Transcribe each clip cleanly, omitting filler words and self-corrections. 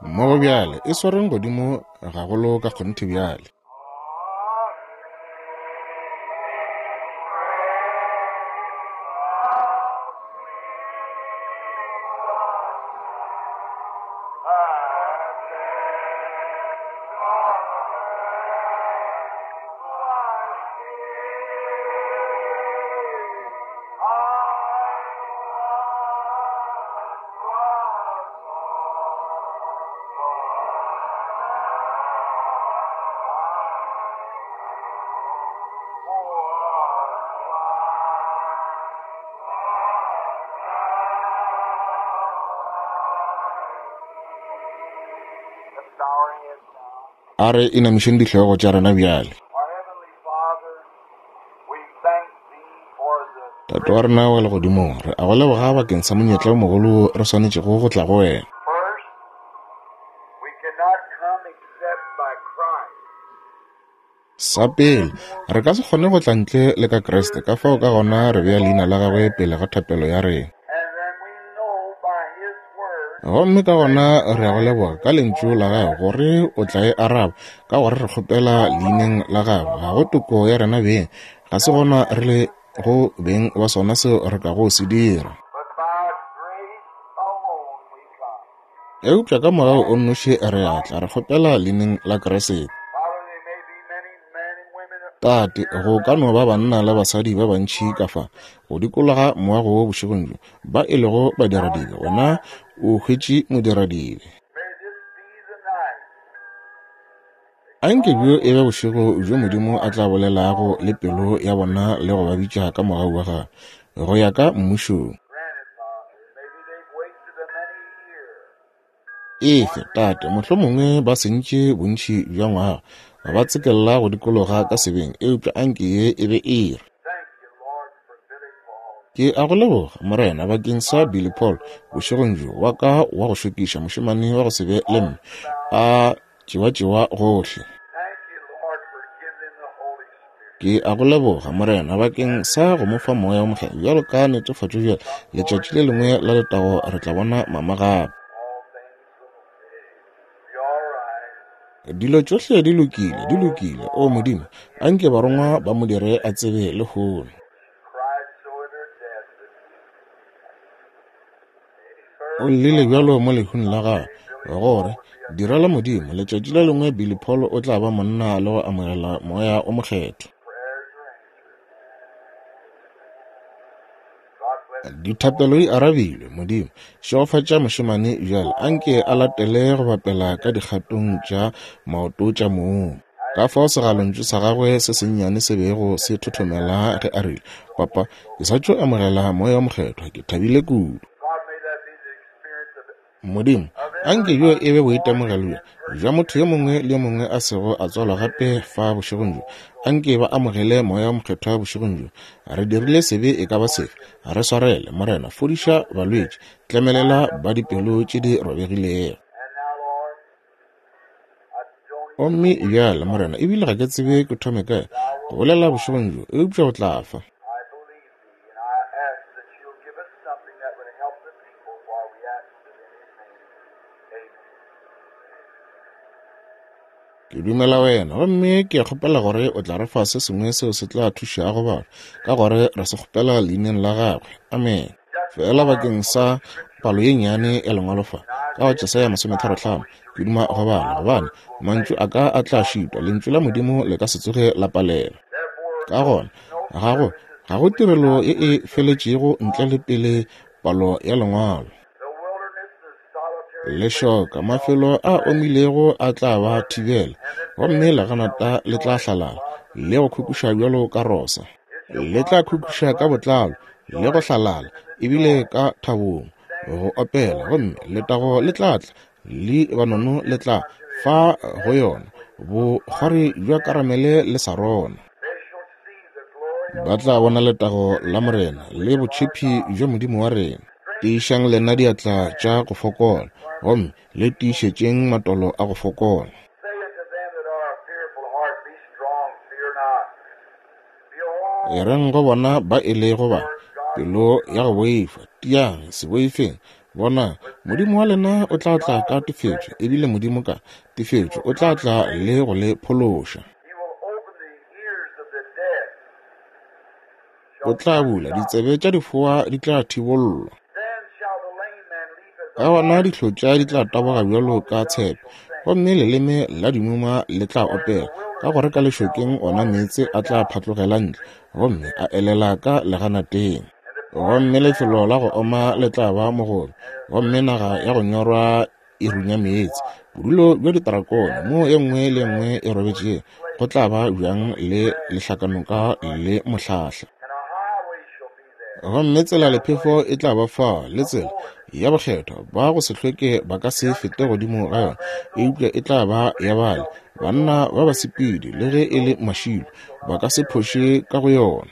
Mmogo bjale, e swareng godimo gagolo ka kgonthe bjale. A re inamišeng dihlogo tša rena bjale. Tate wa rena wa legodimong, re a go leboga bakeng sa monyetla o mogolo wo re swanetšego go tla go wena. Sa pele, re ka se kgone go tla ntle le ka Kriste, ka fao ka gona re bea leina la gagwe pele ga thapelo ya rena. Gomme ka gona re a go leboga ka lentšu la gago gore o tla e araba, ka gore re kgopela leineng la gago. Ga go toko ya rena beng, ga se gona re le go beng ba sona seo re kago se dira. Eupša ka mogau o nnoši re a tla, re kgopela leineng la Kriste. Tate, go ka no ba banna le basadi ba bantši ka fa go dikologa moago wo bošegong bjo, ba e lego badiradibe. Wena o hwetše modiradibe. Anke bjo e be bošego bjo Modimo a tla bolelago le pelo ya bona le go ba bitša ka mogau wa gagwe go ya ka mmušong. Efe, Tate, mohlomongwe ba sentše bontši bja ngwaga, ba tsekella go dikologa ka sebeng, eupša anke ye e be iri. Ke a go leboga, Morena, bakeng sa Billy Paul, bošegong bjo, wa ka wa go šokiša, mošemane wa go se be le mme, a tšewatšewa gohle. Ke a go leboga, Morena, bakeng sa go mo fa Moya wo Mokgethwa bjalo ka netefatšo bjale. Letšatši le lengwe la letago re tla bona mama gape. Dilo tšohle di lokile, di lokile. O Modimo, a nke barongwa ba mo dire a tsebe lehono. O llile bjalo mo lehung la gagwe, gore, Direla Modimo, letšatši le lengwe Billy Paul o tla ba monna le go amogela Moya o Mokgethwa. Dithapelo di arabilwe, Modimo, šegofatša mošemane bjale, anke a latele go bapela ka dikgatong tša maoto tša mong. Ka fao segalontšu sa gagwe se sennyane se bego se thothomela ge a rile, Papa, ke sa tšo amogela Moya wo Mokgethwa, ke thabile kudu. Modimo, a nke bjo e be boitemogelo bjo bja motho yo mongwe le yo mongwe a sego a tswalwa gape fa bošegong bjo. A nke ba amogele Moya wo Mokgethwa bošegong bjo. Re dirile sebe e ka ba sefe, re swarele, Morena. Fodiša balwetši, tlemelela ba dipelo tše di robegilego. Gomme bjale, Morena, ebile ga ke tsebe ke thome kae go bolela bošegong bjo, eupša o tla fa. Ke dumela wena, gomme ke a kgopela gore o tla re fa se sengwe seo se tla thušago batho, ka gore re se kgopela leineng la gagwe. Amen. Feela bakeng sa palo ye nnyane ya Lengwalo fa, ka go Jesaya masometharohlano, ke duma go bala, gobane mantšu a ka a tla šitwa, Lentšu la Modimo le ka se tsoge la palelwa. Ka gona, ga go, ga go tirelo ye e feletšego ntle le pele palo ya Lengwalo. Lešoka, mafelo a omilego a tla ba thibela, gomme leganata le tla hlalala le go khukhuša bjalo ka rosa. Le tla khukhuša ka botlalo le go hlalala, ebile ka thabong go opela, gomme letago le tla tla, Libanono le tla fa go yona bokgwari bja Karamele le Sarona. Ba tla bona letago la Morena le botšhephi bja Modimo wa rena. Tiišang lena diatla tša go fokola, gomme le tiišetšeng matolo a go fokola. E reng go bona ba e lego ba pelo ya go boifa, tiang, se boifeng. Bonang, Modimo wa lena o tla tla ka tefetšo, ebile Modimo ka tefetšo o tla tla le go le phološa. O tla bula ditsebe tša difoa di tla thibollwa. Ka gona dihlotša di tla taboga bjalo ka tshepe, gomme leleme la dimuma le tla opela, ka gore ka lešokeng ona meetse a tla phatlogela ntle gomme a elela ka leganateng. Gomme lefelo la go oma le tla ba mogobe, gomme naga ya go nyorwa e runya meetse. Bodulo bja ditrakone, moo e nngwe le e nngwe e robetšego, go tla ba bjang le lehlakanoka le mohlahla. Gomme tsela lephefo e tla ba fao, le tsela ya bokgethwa, ba go se hlweke ba ka se fete godimo ga yona, eupša e tla ba ya bale, banna ba basepedi, le ge e le mašilo, ba ka se phoše ka go yona.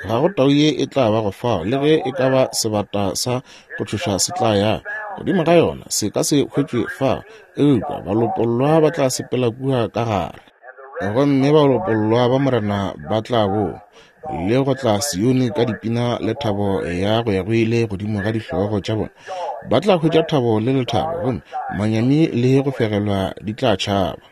Ga go tau ye e tla bago fao, le ge e ka ba sebata sa go tšhoša se tla ya godimo ga yona, se ka se hwetšwe fao, eupša balopollwa ba tla sepela kua ka gare. Gomme balopollwa ba Morena ba tla boa, le go tla Sione ka dipina le thabo ya go ya go ile godimo ga dihlogo tša bona. Ba tla hwetša thabo le lethabo, gomme manyami le go fegelwa di tla tšhaba.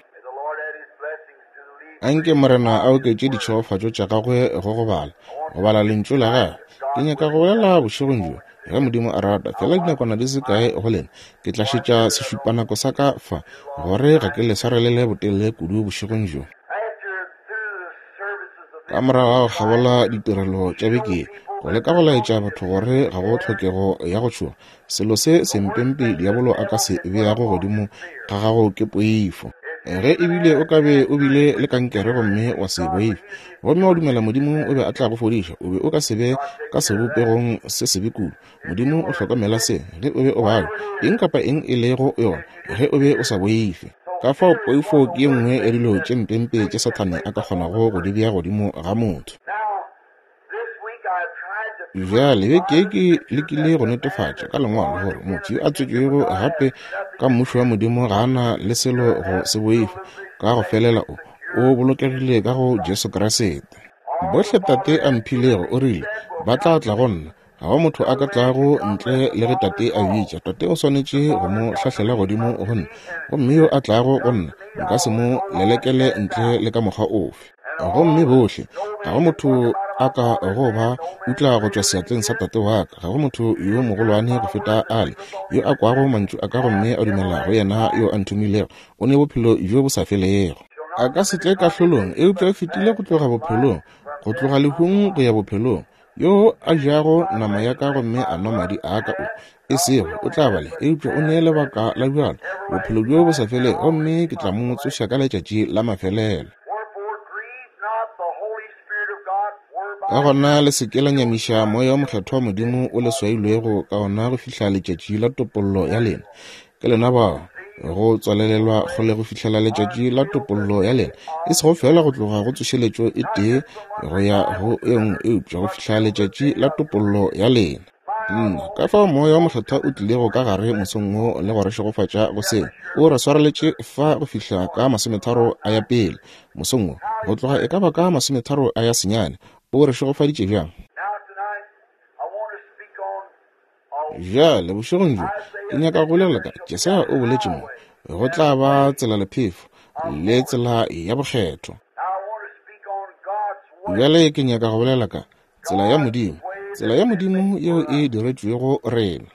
Anke Morena a oketše ditšhegofatšo tša gagwe go go bala, go bala Lentšu la gagwe. Ke nyaka go bolela bošegong bjo, ge Modimo a rata, fela dinakwana di se kae go lena. Ke tla šetša sešupanako sa ka fa, gore ga ke le swarelele botelele kudu bošegong bjo. Ka morago ga go kgabola ditirelo tša beke ye, go leka go laetša batho gore ga go tlhokego ya go tšhoga, Selo se sempempe diabolo a ka se beago godimo ga gago ke poifo. Ge ebile o ka be o bile le kankere gomme wa se boife, gomme wa dumela Modimo o be a tla go fodiša, o be o ka se be ka sebopegong se sebe kudu. Modimo o hlokomela se, ge o be o babja, eng kapa eng e lego yona, ge o be o sa boife. Ka fao poifo ke ye nngwe ya dilo tše mpempe tše Sathane a ka kgonago go di bea godimo ga motho. Bjale beke ye ke lekile go netefatša ka Lengwalo gore motho yo a tswetšwego gape ka Mmušo wa Modimo ga a na le selo go se boifa, ka go felela o, o bolokegile ka go Jesu Kriste. Bohle Tate a mphilego, o rile, ba tla tla go nna. Ga go motho a ka tlago ntle le ge Tate a bitša. Tate o swanetše go mo hlahlela godimo go nna, gomme yo a tlago go nna nka se mo lelekele ntle le ka mokgwa ofe. Gomme bohle, ga go motho a ka go ba utla go tšwa seatleng sa Tate wa ka. Ga go motho yo mogolwane go feta ale yo a kwago mantšu a ka gomme a dumela go yena yo a nthomilego, o ne bophelo bjo bo sa felego. A ka se tle kahlolong, eupša o fetile go tloga bophelong, go tloga lehung go ya bophelong. Yo a jago nama ya ka gomme a nwa madi a ka o, e sego o tla ba le, eupša o ne lebaka la bjalo, bophelo bjo bo sa felego, gomme ke tla mo tsoša ka letšatši la mafelelo. Ka gona le se ke la nyamiša moya o mokgethwa wa Modimo o le swailwego ka ona go fihla letšatši la topollo ya lena. Ke lena bao go tswalelelwa kgole go fihlela letšatši la topollo ya lena, e sego fela go tloga go tsošeletšo e tee go ya go e nngwe, eupša go fihla letšatši la topollo ya lena. Nna, ka fao Moya wo Mokgethwa o tlilego ka gare mosong wo le go re šegofatša go seo. O re swareletše fa go fihla ka masometharo a ya pele mosong wo, go tloga e ka ba ka masometharo a ya senyane. O re šegofaditše bjang? Bjale, bošegong bjo, ke nyaka go bolela ka Jesaya o boletše mo, go tla ba tsela lephefo le tsela ya bokgethwa. Bjale ke nyaka go bolela ka tsela ya Modimo, tsela ya Modimo yeo e diretšwego rena.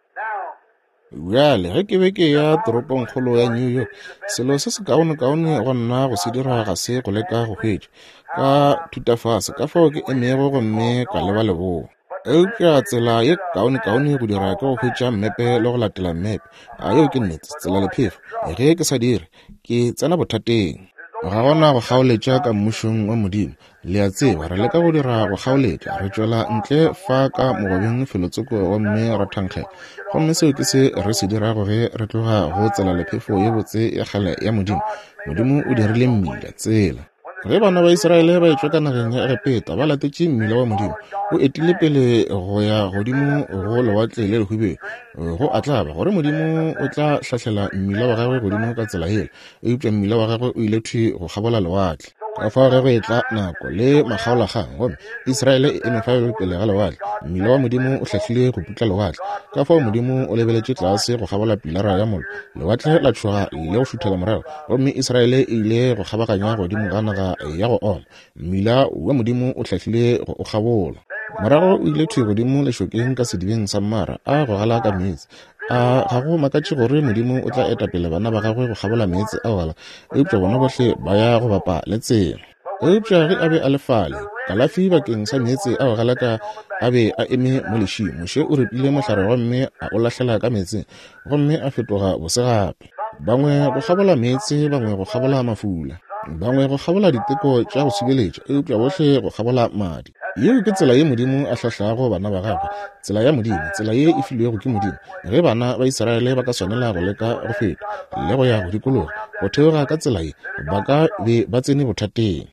Bjale, ge ke be ke ya toropongkgolo ya New York, selo se sekaonekaone go nna go se dira ga se go leka go hwetša ka thutafase ka fao ke emego gomme ka leba leboa. Eupša tsela ye kaonekaone go dira ke go hwetša mmepe le go latela mmepe. A yeo ke nnete, tsela lephefo. Ge ke sa dire, ke tsena bothateng. Ga gona go kgaoletša ka Mmušong wa Modimo. Le a tseba, re leka go dira go kgaoletša, re tšwela ntle fa ka mogobeng felotsoko gomme ra thankgela. Gomme seo ke se re se dirago ge re tloga go tsela lephefo ye botse ya kgale ya Modimo. Modimo o dirile mmila, tsela. Ge bana ba Israele ba etšwa ka nageng ya Egepeta, ba latetše mmila wa Modimo, o etile pele go ya godimo go Lewatle le Lehubedu. Go a tlaba gore Modimo o tla hlahlela mmila wa gagwe godimo ka tsela yela, eupša mmila wa gagwe o ile thwi go kgabola lewatle. Ka fao ge go etla nako le makgaolakgang, gomme Israele e eme fale pele ga lewatle, mmila wa Modimo o hlahlile go putla lewatle. Ka fao Modimo o lebeletše tlase go kgabola pilara ya mollo, lewatle la tšhoga le go šuthela morago, gomme Israele e ile go kgabaganya godimo ga naga ya go oma. Mmila wa Modimo o hlahlile go o kgabola. Morago o ile thwi godimo lešokeng ka sedibeng sa Mara, a gogela ka meetse. A ga go makatše gore Modimo o tla eta pele bana ba gagwe go kgabola meetse a gala, eupša bona bohle ba ya go bapa le tsela. Eupša ge a be a le fale, kalafi bakeng sa meetse a go galaka a be a eme mo lešing. Moshe o ripile mohlare gomme a o lahlela ka meetseng, gomme a fetoga bose gape. Bangwe go kgabola meetse, bangwe go kgabola mafula, bangwe go kgabola diteko tša go subeletša, eupša bohle go kgabola madi. Yeo ke tsela ye Modimo a hlahlago bana ba gagwe, tsela ya Modimo, tsela ye e filwego ke Modimo. Ge bana ba Israele ba ka swanela go leka go feta le go ya go dikologa go theoga ka tsela ye, ba ka be ba tsene bothateng.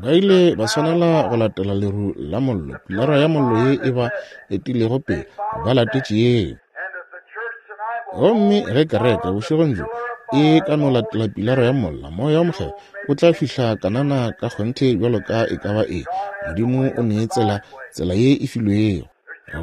Ba ile ba swanela go latela leru la mollo, pilara ya mollo ye e ba etilego pele, ba latetše yeo. Gomme ge kereke bošegong bjo e ka no latela pilara ya molla, moya wa mokgethwa o tla fihla Kanana ka kgonthe bjalo ka e ka ba eng. Modimo o nee tsela, tsela ye e filwego.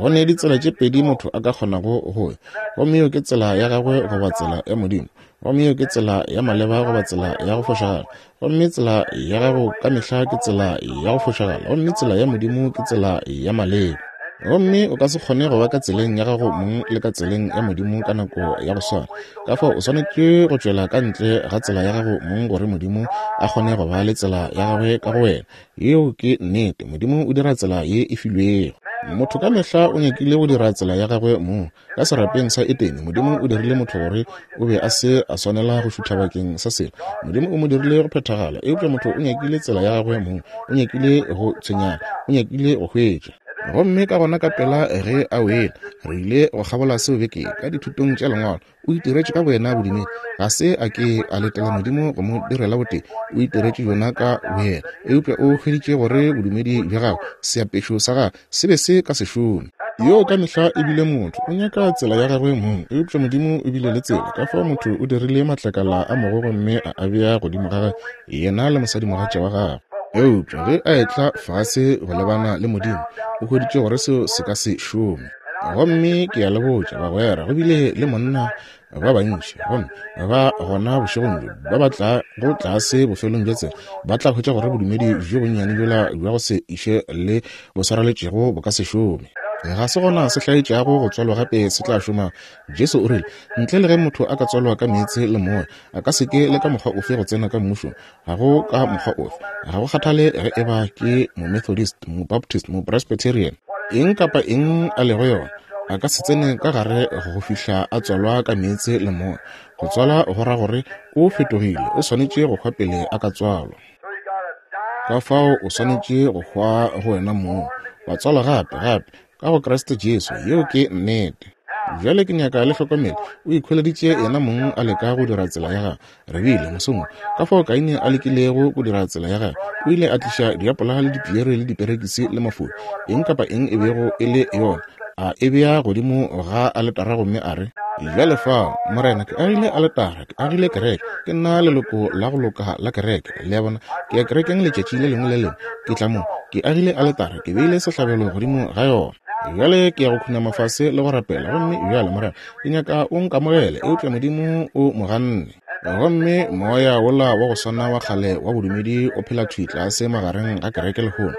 Go ne ditsela tše pedi motho a ka kgonago go ya, gomme yeo ke tsela ya gagwe goba tsela ya Modimo, gomme yeo ke tsela ya maleba goba tsela ya go fošagala. Gomme tsela ya gago ka mehla ke tsela ya go fošagala, gomme tsela ya Modimo ke tsela ya maleba. Gomme o ka se kgone go ba ka tseleng ya gago mong le ka tseleng ya Modimo ka nako ya go swana. Ka fao o swanetše go tšwela ka ntle ga tsela ya gago mong gore Modimo a kgone go ba le tsela ya gagwe ka go wena. Yeo ke nnete. Modimo o dira tsela ye e filwego. Motho ka mehla o nyakile go dira tsela ya gagwe mong. Ka serapeng sa Edene, Modimo o dirile motho gore o be a se a swanela go šutha bakeng sa selo. Modimo o mo dirile go phethagala, eupša motho o nyakile tsela ya gagwe mong, o nyakile go tshwenyana, o nyakile go hwetša. Gomme ka gona ka pela ge a wele, re ile go kgabola seo beke ka dithutong tša Lengwalo, o itiretše ka boyena bodumedi. Ga se a ke a letela Modimo go mo direla botee, o itiretše bjona ka boyena. Eupša o hweditše gore bodumedi bja gagwe, seapešo sa gagwe, se be se ka se šome. Yoo ka mehla e bile motho, o nyaka tsela ya gagwe mong, eupša Modimo o bile le tsela. Ka fao motho o dirile matlakala a mogo gomme a a bea godimo ga gagwe, yena le mosadimogatša wa gagwe. Eupša ge a etla fase go lebana le Modimo, o hweditše gore seo se ka se šome. Gomme ke a le botša, bagwera, go bile le monna ba bantši gomme ba gona bošegong bjo ba ba tla go tlase bofelong bja tsela ba tla hwetša gore bodumedi bjo bonnyane bjola bja go se iše le bo swareletšego bo ka se šome. Ga se gona se hlaetšago go tswalwa gape se tla šoma. Jesu o rile, Ntle le ge motho a ka tswalwa ka meetse le moya, a ka se ke le ka mokgwa ofe go tsena ka mmušong. Ga go ka mokgwa ofe. Ga go kgathale ge e ba ke Momethodist, Mobaptist, Mopresbyterian, eng kapa eng a lego yona, a ka se tsene ka gare go fihla a tswalwa ka meetse le moya. Go tswala go ra gore o fetogile, o swanetše go hwa pele a ka tswalwa. Ka fao o swanetše go hwa go wena mong, wa tswalwa gape, gape, ka go Kriste Jesu. Yeo ke nnete. Bjale ke nyaka le hlokomele, o ikhweleditše yena mong a leka go dira tsela ya gagwe. Re bile, mosong wo, ka fao Kaine a lekilego go dira tsela ya gagwe. O ile a tliša diapola le dipiere le diperekisi le mafuri, eng kapa eng e bego e le yona, a e bea godimo ga aletara gomme a re, Bjale fao, Morena, ke agile aletara, ke agile kereke, ke nna leloko la go loka la kereke. Le a bona, ke ya kerekeng letšatši le lengwe le lengwe, ke tla mo, ke agile aletara, ke beile sehlabelo godimo ga yona. Bjale ke ya go khunama fase le go rapela, gomme bjale, Morena, ke nyaka o nkamogele. Eupša Modimo o mo ganne. Gomme moya wola wa go swana wa kgale wa bodumedi o phela thwi tlase magareng ga kereke lehono.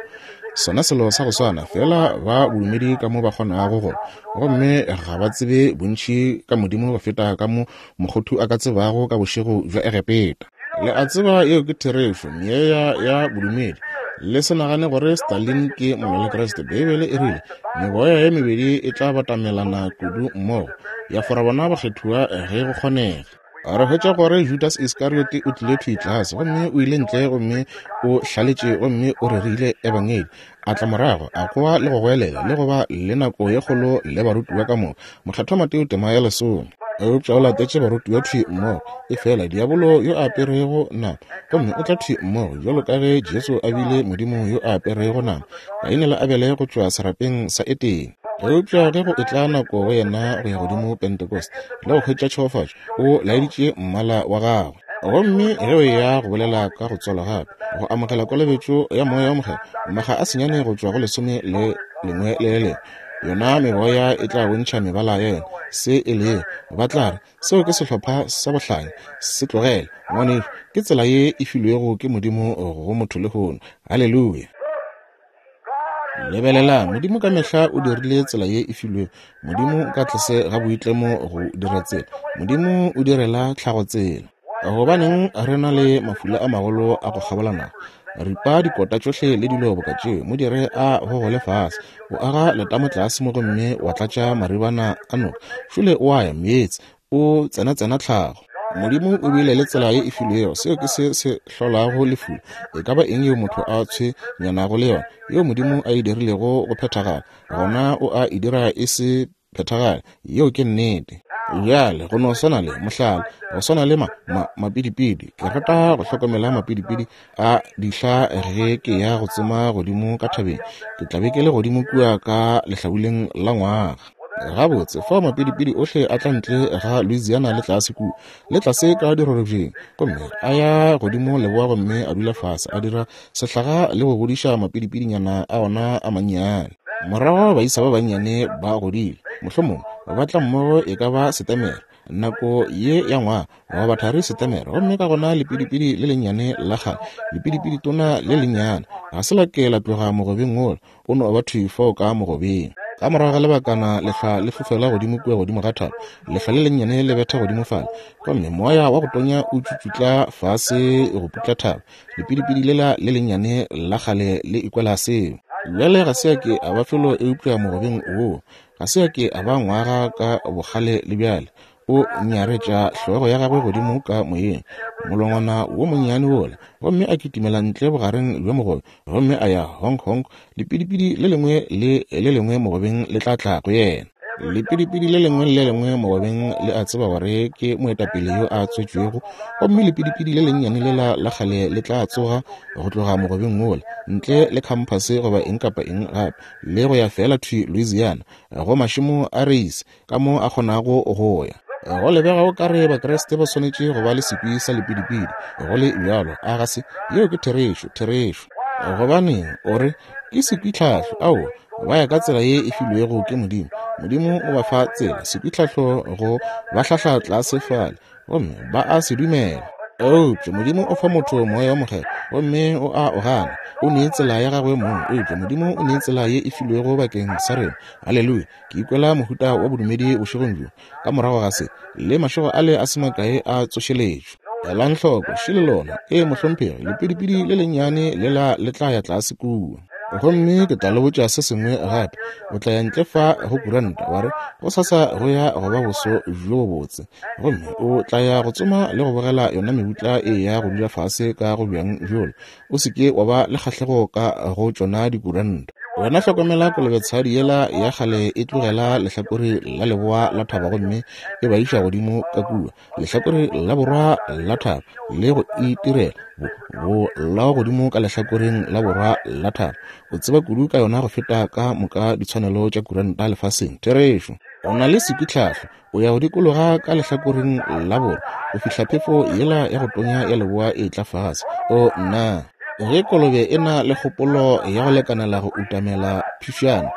Sona selo sa go swana, feela ba bodumedi ka mo ba kgonago go, gomme ga ba tsebe bontši ka Modimo go feta ka mo mokgothu a ka tsebago ka bošego bja Egepeta. Le a tseba yeo ke therešo, meoya ya bodumedi. Le se nagane gore Stalin ke molwalekriste. Beibele e rile, Meboya ye mebedi e tla batamelana kudu mmogo, ya fora bona bakgethiwa ge go kgonega. Re hwetša gore Judas Iskariote o tlile thwi tlase, gomme o ile ntle gomme o hlaletše gomme o rerile ebangedi. A tla morago, a goa le go goelela, le go ba le nako ye kgolo le barutiwa ka moka. Mokgethwa Mateo tema ya lesome. Eupša o latetše barutiwa thwi mmogo, efela diabolo yo a aperego nama, gomme o tla thwi mmogo bjalo ka ge Jesu a bile Modimo yo a aperego nama, Kaine le Abele go tšwa serapeng sa Etene. Eupša ge go etla nako go yena go ya godimo Pentecost le go hwetša tšhegofatšo, o laeditše mmala wa gagwe. Gomme ge o eya go bolela ka go tswalwa gape, go amogela kolobetšo ya Moya wo Mokgethwa, makga a senyane go tšwa go lesome le lengwe le le lengwe, yona meboya e tla bontšha mebala ya yona, se e lego. Ba tla re, Seo ke sehlopha sa bohlanya. Se tlogele, ngwanešu. Ke tsela ye e filwego ke Modimo go motho lehono. Haleluya! Lebelelang, Modimo ka mehla o dirile tsela ye e filwego. Modimo ka tlase ga boitlemo go dira tsela. Modimo o direla tlhago tsela. Gobaneng re na le mafula a magolo a go kgabola naga? Ripa dikota tšohle le dilo boka tšeo, mo dire a gogole fase. O aga letamo tlase mo gomme wa tlatša maribana a noka. Šole o a ya meetse, o tsenatsena tlhago. Modimo o bile le tsela ye e filwego. Seo ke se se hlolago lefula. E ka ba eng yeo motho a tshwenyanago le yona, yeo Modimo a e dirilego go phethagala, gona o a e dira e se phethagale. Yeo ke nnete. Bjale, go no swana le, mohlala, go swana le ma, ma, mapidipidi. Ke rata go hlokomela mapidipidi a dihla ge ke ya go tsoma godimo ka thabeng. Ke tla be ke le godimo kua ka lehlabuleng la ngwaga. Gabotse, fao mapidipidi ohle a tla ntle ga Louisiana le tlase kua, le tlase ka dirorobjeng, gomme a ya godimo leboa gomme a dula fase, a dira sehlaga le go godiša mapidipidinyana a ona a mannyane. Morago baisa ba bannyane ba godile, mohlomongwe ba tla mmogo e ka ba Setemere, nako ye ya ngwaga, goba thari Setemere, gomme ka gona lepidipidi le lennyane la kgale, lepidipidi tona le lennyane, ga se la ke la tloga mogobeng wola, o no ba thwi fao ka mogobeng. Ka morago ga lebakana lehlwa le fofela godimo kua godimo ga thaba, lehlwa le lennyane le betha godimo fale, gomme moya wa go tonya o tšutšutla fase go putla thaba. Lepidipidi lela le lennyane la kgale le ikwela seo. Bjale ga se a ke a ba felo eupša mogobeng woo. Ga se a ke a ba ngwaga ka bokgale le bjale. O nyaretša hlogo ya gagwe godimo ka moyeng, molongwana wo monnyane wola, gomme a kitimela ntle bogareng bja mogobe, gomme a ya honk-honk. Lepidipidi le lengwe le le lengwe mogobeng le tla tla go yena. Lepidipidi le lengwe le le lengwe mogobeng le a tseba gore ke moetapele yo a tswetšwego, gomme lepidipidi le lennyane lela la kgale le tla tsoga go tloga mogobeng wola, ntle le khamphase goba eng kapa eng gape, le go ya feela thwi Louisiana, go mašemo a reise, ka mo a kgonago go ya. Go lebega o ka re Bakriste ba swanetše go ba le sekwi sa lepidipidi, go le bjalo, a ga se? Yeo ke therešo, therešo. Gobaneng, o re, ke sekwitlhahlo. Aowa, ba ya ka tsela ye e filwego ke Modimo. Modimo o ba fa tsela, sekwitlhahlo go ba hlahla tlase fale, gomme ba a se dumela. Eupša Modimo o fa motho Moya wo Mokgethwa, gomme o a o gana. O ne tsela ya gagwe mong, eupša Modimo o ne tsela ye e filwego bakeng sa rena. Haleluya! Ke ikwela mohuta wa bodumedi bošegong bjo, ka morago ga se, le mašego ale a se makae a tsošeletšo. Elang hloko, šele lona. Ee, mohlomphegi, lepidipidi le lennyane lela le tla ya tlase kua. Gomme ke tla le botša se sengwe gape. O tla ya ntle fa go kuranta, wa re, Gosasa go ya go ba boso bjo bobotse. Gomme o tla ya go tsoma le go bogela yona mebutla e ya go dula fase ka go bjang bjola. O se ke wa ba le kgahlego ka go tšona dikuranta. Wena hlokomela kolobetshadi yela ya kgale e tlogela lehlakore la leboa la thaba gomme e ba iša godimo ka kua lehlakore la borwa la thaba le go itirela bo, bo lao godimo ka lehlakoreng la borwa la thaba. O tseba kudu ka yona go feta ka moka ditshwanelo tša kuranta lefaseng. Therešo. O na le sekwitlhahlo. O ya go dikologa ka lehlakoreng la borwa go fihla phefo yela ya go tonya ya leboa e tla fase. O nna! Ge kolobe e na le kgopolo ya go lekanela go utamela phifšana,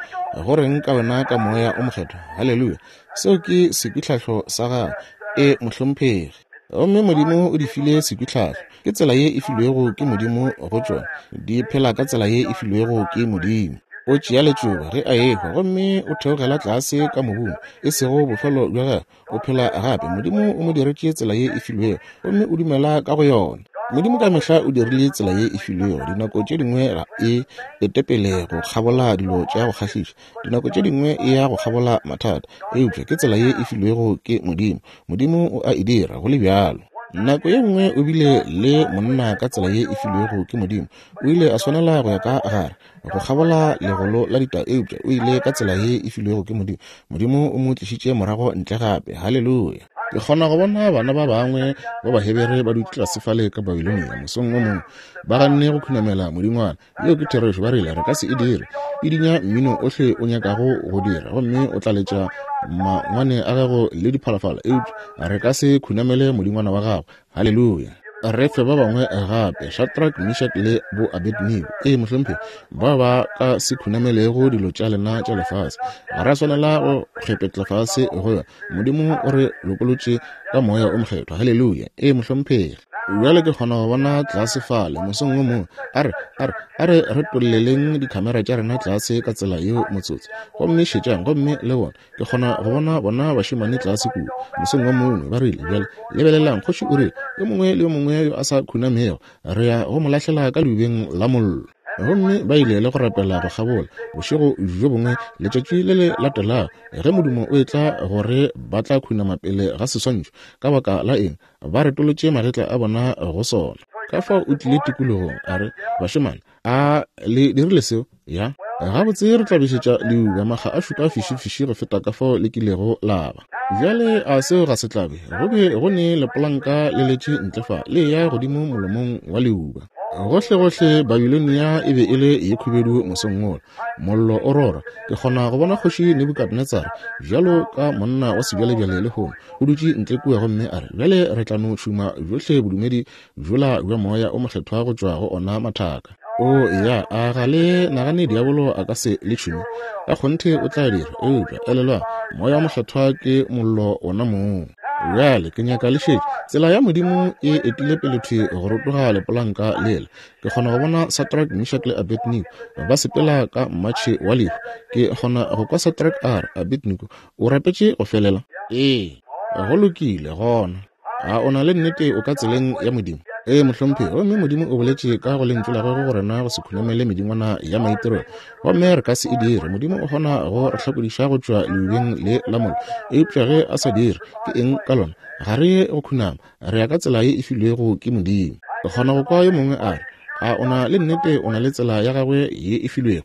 go reng ka wena ka Moya o Mokgethwa? Haleluya! Seo ke sekwitlhahlo sa gago. E, mohlomphegi. Gomme Modimo o di file sekwitlhahlo. Ke tsela ye e filwego ke Modimo go tšona. Di phela ka tsela ye e filwego ke Modimo. O tšea letšoba ge a ehwa gomme o theogela tlase ka mobung, e sego bofelo bja gagwe, o phela gape. Modimo o mo diretše tsela ye e filwego gomme o dumela ka go yona. Modimo ka mehla o dirile tsela ye e filwego. Dinako tše dingwe ga e ete pele go kgabola dilo tša go kgahliša, dinako tše dingwe e ya go kgabola mathata, eupša ke tsela ye e filwego ke Modimo. Modimo o a e dira go le bjalo. Nako ye nngwe o bile le monna ka tsela ye e filwego ke Modimo. O ile a swanela go ya ka gare go kgabola legolo la ditau, eupša o ile ka tsela ye e filwego ke Modimo. Modimo o mo tlišitše morago ntle gape. Haleluya! Ke kgona go bona bana ba bangwe ba Bahebere ba dutše tlase fale ka Babilonia mosong o mongwe, ba ganne go khunamela modingwana. Yeo ke therešo. Ba rile, Re ka se e dire. E dinya mmino ohle o nyakago go dira, gomme o tla letša mangwane a gago le diphalafala, eupša re ka se khunamele modingwana wa gago. Haleluya! Re fe ba bangwe gape, Shadrach, Meshach le bo Abednego. Ee, mohlomphegi, bao ba ka se khunamelego dilo tša lena tša lefase. Ga ra swanela go kgepetla fase go yona. Modimo o re lokolotše ka Moya o Mokgethwa. Haleluya! Ee, mohlomphegi. Bjale ke kgona go bona tlase fale mosong wo mongwe, a re, a re, a re retolleleng dikhamera tša rena tlase ka tsela yeo motsotso. Gomme šetšang gomme le bone. Ke kgona go bona bona bašemane tlase kua mosong wo mongwe, ba rile, Bjale, lebelelang, kgoši o rile, yo mongwe le yo mongwe yo a sa khunamego, re ya go mo lahlela ka leubeng la mollo. Gomme ba ile le go rapela go kgabola bošego bjo bongwe, letšatši le le latelago, ge modumo o etla gore ba tla khunama pele ga seswantšho, ka baka la eng, ba retolotše magetla a bona go sona. Ka fao o tlile tikologong, a re, Bašemane, A le dirile seo? Ya. Gabotse, re tla bešetša leuba makga a šupa fišifiši go feta ka fao le kilego la ba. Bjale, a seo ga se tlabe? Go be go ne lepolanka le letše ntle fa, le eya godimo molomong wa leuba. Gohlegohle Babilonia e be e le ye khubedu mosong wola, mollo o rora. Ke kgona go bona Kgoši Nebukadnetsara, bjalo ka monna wa sebjalebjale lehono, o dutše ntle kua gomme a re, Bjale re tla no tšhuma bjohle bodumedi bjola bja Moya o Mokgethwa go tšwa go ona mathaka. O ya, a ga le nagane diabolo a ka se le tšhume? Ka kgonthe o tla dira. Eupša elelwang, Moya o Mokgethwa ke mollo wona mong. Bjale ke nyaka le šetše. Tsela ya Modimo e etile pele thwi go rotoga lepolanka lela. Ke kgona go bona Sadrach, Meshach le Abednego ba sepela ka mmatšhe wa lehu. Ke kgona go kwa Sadrach a re, Abednego, o rapetše go felela? Ee. Go lokile, gona. A o na le nnete o ka tseleng ya Modimo? Ee, mohlomphegi. Gomme Modimo o boletše ka go Lentšu la Gagwe go rena go se khunamele medingwana ya maitirelo, gomme re ka se e dire. Modimo o kgona go re hlakodiša go tšwa leubeng le la mollo, eupša ge a sa dire, ke eng ka lona? Ga re ye go khunama, re ya ka tsela ye e filwego ke Modimo. Ke kgona go kwa yo mongwe a re, A o na le nnete o na le tsela ya gagwe ye e filwego?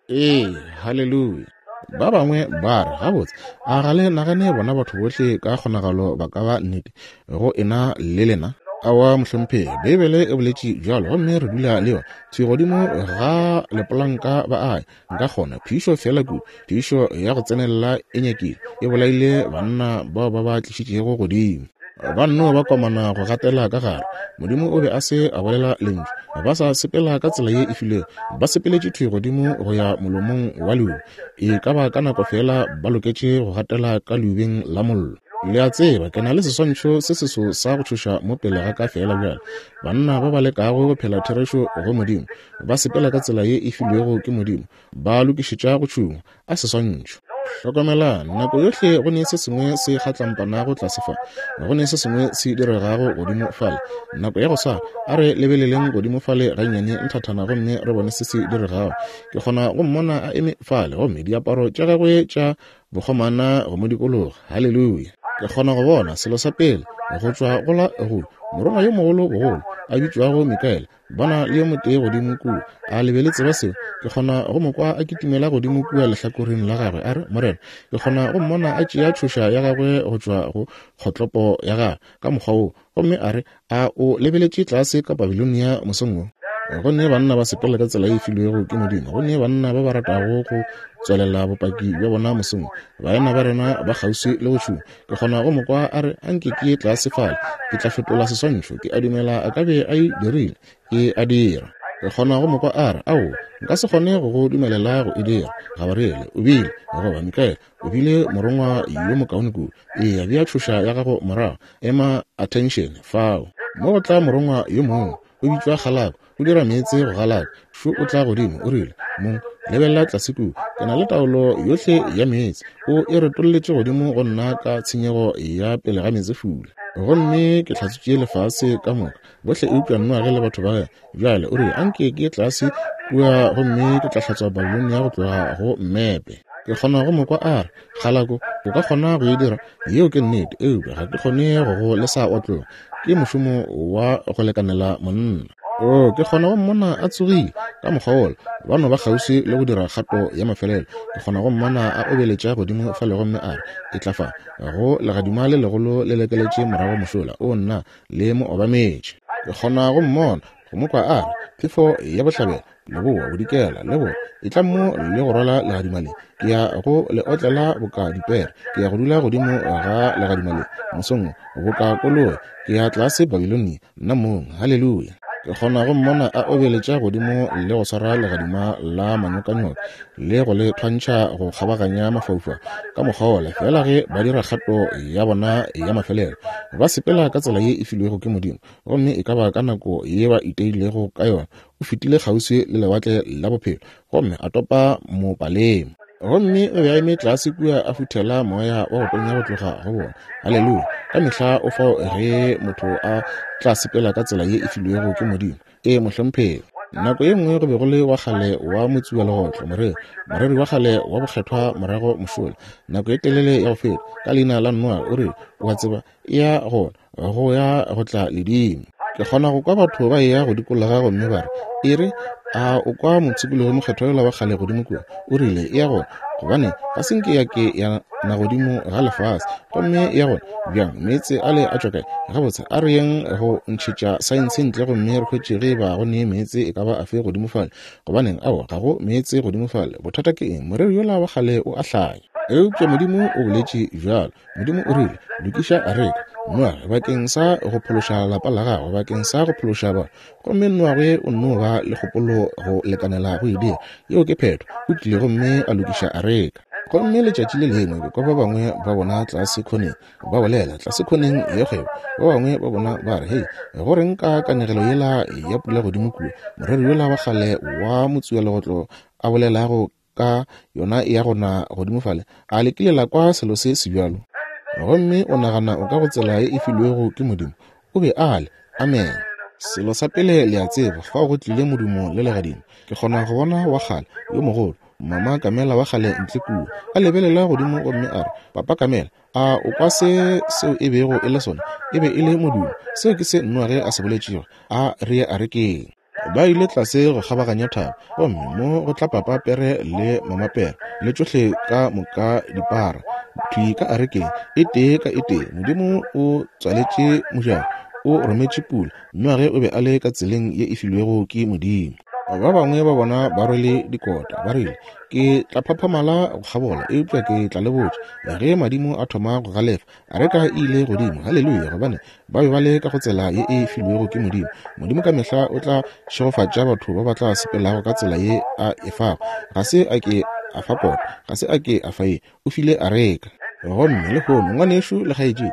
Ee, haleluya. Ba bangwe ba re, Gabotse, a ga le nagane bona batho bohle ka kgonagalo ba ka ba nnete go ena le lena? Aowa, mohlomphegi, Beibele e boletše bjalo, gomme re dula le yona. Thwi godimo ga lepolanka ba a ya. Nka kgona, phišo feela kudu, phišo ya go tsenelela e nyakile e bolaile banna bao ba ba tlišitšego godimo. Ba nno ba komana go gatela ka gare. Modimo o be a se a bolela lentšu. Ba sa sepela ka tsela ye e filwego. Ba sepeletše thwi godimo go ya molomong wa leuba. E ka ba ka nako feela ba loketše go gatela ka leubeng la mollo. Le a tseba, ke na le seswantšho se seso sa go tšhoša mo pele ga ka feela bjale. Banna ba ba lekago go phela therešo go Modimo, ba sepela ka tsela ye e filwego ke Modimo, ba lokišetša go tšhungwa. A seswantšho! Hlokomelang, nako yohle go ne se sengwe se kgatlampanago tlase fa, go ne se sengwe se diregago godimo fale. Nako ya go swana, a re lebeleleng godimo fale gannyane nthathana gomme re bone se se diregago. Ke kgona go mmona a eme fale, gomme diaparo tša gagwe tša bokgomana go mo dikologa. Haleluya! Ke kgona go bona selo sa pele go tšwa go la go morongwa yo mogolo bogolo a bitšwago Mikaele, Bona le yo motee godimo kua. A le be le tseba seo? Ke kgona go mo kwa a kitimela godimo kua lehlakoreng la gagwe, a re, Morena. Ke kgona go mmona a tšea tšhoša ya gagwe go tšwa go kgotlopo ya gagwe, ka mokgwa woo, gomme a re, A o lebeletše tlase ka Babilonia mosong wo? Go ne banna ba sepela ka tsela e filwego ke Modimo. Go ne banna ba ba ratago go tswelela bopaki bja bona mosong. Baena ba rena ba kgauswi le go tšhuma. Ke kgona go mo kwa a re, Anke ke ye tlase fale, ke tla fetola seswantšho. Ke a dumela a ka be a e dirile. Ke a dira. Ke kgona go mo kwa a re, Aowa, nka se kgone go go dumelela go e dira. Gabariele o bile, goba Mikaele, o bile morongwa yo mokaone kudu. Eya, bea tšhoša ya gago morago. Ema attention, fao. Mo go tla morongwa yo mongwe, o bitšwa Kgalako. O dira meetse go galaka. Šo o tla godimo, o rile, Mong, lebelela tlase kua. Ke na le taolo yohle ya meetse. O e retolletše godimo go nna ka tshenyego ya pele ga meetsefula. Gomme ke hlatswitše lefase ka moka, bohle eupša Noage le batho ba. Bjale, o rile, anke ke ye tlase kua gomme ke tla hlatswa Babilonia go tloga go mmepe. Ke kgona go mo kwa a re, Kgalako, o ka kgona go e dira. Yeo ke nnete, eupša ga ke kgone go go lesa wa tloga. Ke mošomo wa go lekanela monna. Oo, ke kgona go mmona a tsogile ka mokgwa wola, ba no ba kgauswi le go dira kgato ya mafelelo. Ke kgona go mmona a obeletša godimo fale gomme a re, Etla fa, go legadima le legolo le lekeletše morago mošola. Oo, nna, le mo obametše. Ke kgona go mmona, go mo kwa a re, Phefo ya bohlabela, leboa, bodikela, leboa, etla mo le go rwala legadima le. Ke ya go le otlela boka dipere. Ke ya go dula godimo ga legadima le mosong wo, boka koloi. Ke ya tlase Babilonia, nna mong. Haleluya! Ke kgona go mmona a obeletša godimo le go swara legadima la manyokanyoka le go le thwantšha go kgabaganya mafaufau ka mokgwa wola, feela ge ba dira kgato ya bona ya mafelelo, ba sepela ka tsela ye e filwego ke Modimo. Gomme e ka ba ka nako ye ba iteilego ka yona, o fetile kgauswi le lewatle la bophelo gomme a topa mopalema. Gomme o be a eme tlase kua a futhela moya wa go tonya go tloga go bona. Haleluya! Ka mehla o fao ge motho a tla sepela ka tsela ye e filwego ke Modimo. Ee, mohlomphegi. Nako ye nngwe go be go le wa kgale wa motsualegotlo, moreri, moreri wa kgale wa bokgethwa morago mošola, nako e telele ya go feta, ka leina la Noa, o rile, O a tseba, e ya gona, go ya go tla ledimo. Ke kgona go kwa batho ba eya go dikologa gomme ba re, E re, a o kwa mopshikologi mokgethwa yola wa kgale godimo kua? O rile, E ya gona, gobane ga se nke ya ke ya na godimo ga lefase. Gomme e ya gona bjang? Meetse ale a tšwa kae? Gabotse, a re yeng go ntšhetša saense ntle gomme re hwetše ge eba go ne meetse e ka ba afe godimo fale. Gobaneng, aowa, ga go meetse godimo fale. Bothata ke eng? Moreri yola wa kgale o a hlanya. Eupša Modimo o boletše bjalo. Modimo o rile, Lokiša areka, Noage, bakeng sa go phološa lapa la gago, bakeng sa go phološa ba. Gomme Noage o nno ba le kgopolo go lekanela go e dira. Yeo ke phetho. O tlile gomme a lokiša areka. Gomme letšatši le lengwe ke kwa ba bangwe ba bona tlase khoneng, ba bolela tlase khoneng ya kgwebo. Ba bangwe ba bona ba re, Hei, go reng ka kanegelo yela ya pula godimo kua, moreri yola wa kgale wa motsualegotlo a bolelago ka yona e ya go na godimo fale, a le kile la kwa selo se sebjalo? Gomme o nagana o ka go tsela ye e filwego ke Modimo? O be a le. Amen. Selo sa pele le a tseba, fao go tlile modumo le legadima. Ke kgona go bona wa kgale, yo mogolo, Mama Kamela wa kgale ntle kua, a lebelela godimo gomme a re, Papa Kamela, a o kwa se seo e bego e le sona? E be e le modumo. Seo ke se Noage a se boletšego. A re ye arekeng. Ba ile tlase go kgabaganya thaba, gomme mo go tla papa pere le mama pere, le tšohle ka moka dipara, thwi ka arekeng, e tee ka e tee. Modimo o tswaletše mojako, o rometše pula. Noage o be a le ka tseleng ye e filwego ke Modimo. Ba bangwe ba bona ba rwele dikota, ba rile, Ke tla phaphamala go kgabola, eupša ke tla le botša, ge madimo a thoma go galefa, Areka e ile godimo, haleluya, gobane ba be ba le ka go tsela ye e filwego ke Modimo. Modimo ka mehla o tla šegofatša batho ba ba tla sepelago ka tsela ye a e fago. Ga se a ke a fa kota, ga se a ke a fa ye, o file areka. Gomme lehono, ngwanešu le kgaetšedi,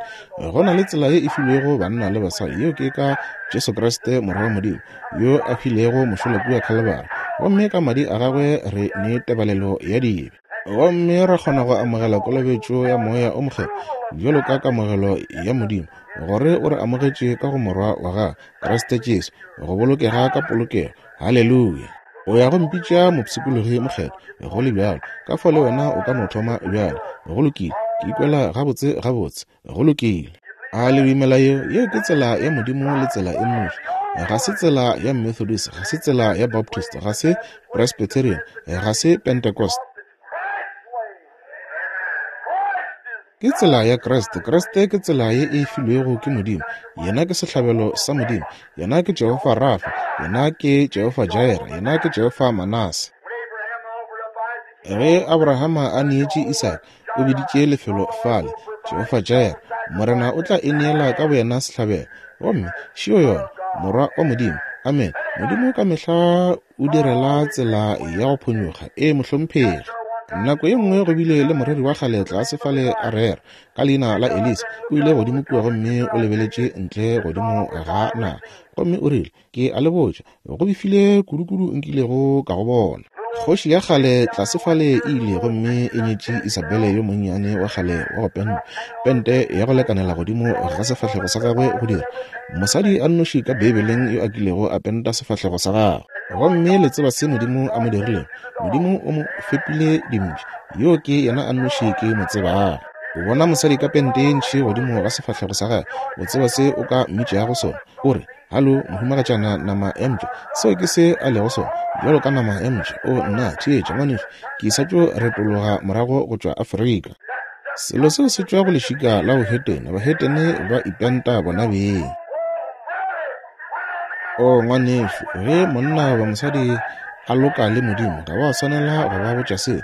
go na le tsela ye e filwego banna le basadi, yeo ke ka Jesu Kriste Morwa wa Modimo, yo a hwilego mošola kua Khalibari, gomme ka madi a gagwe re ne tebalelo ya dibe. Gomme ra kgona go amogela kolobetšo ya Moya o Mokgethwa bjalo ka kamogelo ya Modimo, gore o re amogetše ka go Morwa wa gagwe, Kriste Jesu, go bolokega ka polokego. Haleluya! O ya go mpitša mopshikologi mokgethwa, go le bjalo. Ka fao le wena o ka no thoma bjale. Go lokile. Ke ikwela gabotse gabotse. Go lokile. A le dumela yeo? Yeo ke tsela ya Modimo le tsela e nnoši. Ga se tsela ya Methodist, ga se tsela ya Baptist, ga se Presbyterian, ga se Pentecost. Ke tsela ya Kriste. Kriste ke tsela ye e filwego ke Modimo. Yena ke sehlabelo sa Modimo. Yena ke Jehofa Rafa. Yena ke Jehofa Jireh. Yena ke Jehofa Manase. Ge Abrahama a neetše Isaka, o biditše lefelo fale Jehofa-Jireh, Morena o tla ineela ka boyena sehlabelo. Gomme šio yona, Morwa wa Modimo. Amene. Modimo ka mehla o direla tsela ya go phonyokga. Ee, mohlomphegi. Nako ye nngwe go bile le moreri wa kgale tlase fale a rera, ka leina la Elisa. O ile godimo kua gomme o lebeletše ntle godimo ga naga, gomme o rile, Ke a le botša, go befile kudukudu nkilego ka go bona. Kgoši ya kgale tlase fale e ile gomme e nyetše Isabele yo monnyane wa kgale wa go pentwa, pente ya go lekanela godimo ga sefahlego sa gagwe go dira mosadi a nnoši ka Beibeleng yo a kilego a penta sefahlego sa gagwe. Gomme le tseba se Modimo a mo dirilego? Modimo o mo fepile dimpša. Yoo ke yena a nnoši ke mo tsebago. O bona mosadi ka pente ye ntši godimo ga sefahlego sa gagwe, o tseba se o ka mmitšago sona? O re, Halo, mohumagatšana nama ya mpša. Seo ke se a lego sona, bjalo ka nama ya mpša. O, nna, theetša, ngwanešu, ke sa tšo retologa morago go tšwa Afrika. Selo seo se tšwa go lešika la bohetene. Bahetene ba ipenta bona beng. O, ngwanešu, ge monna goba mosadi a loka le Modimo, ga ba swanela go ba botša seo.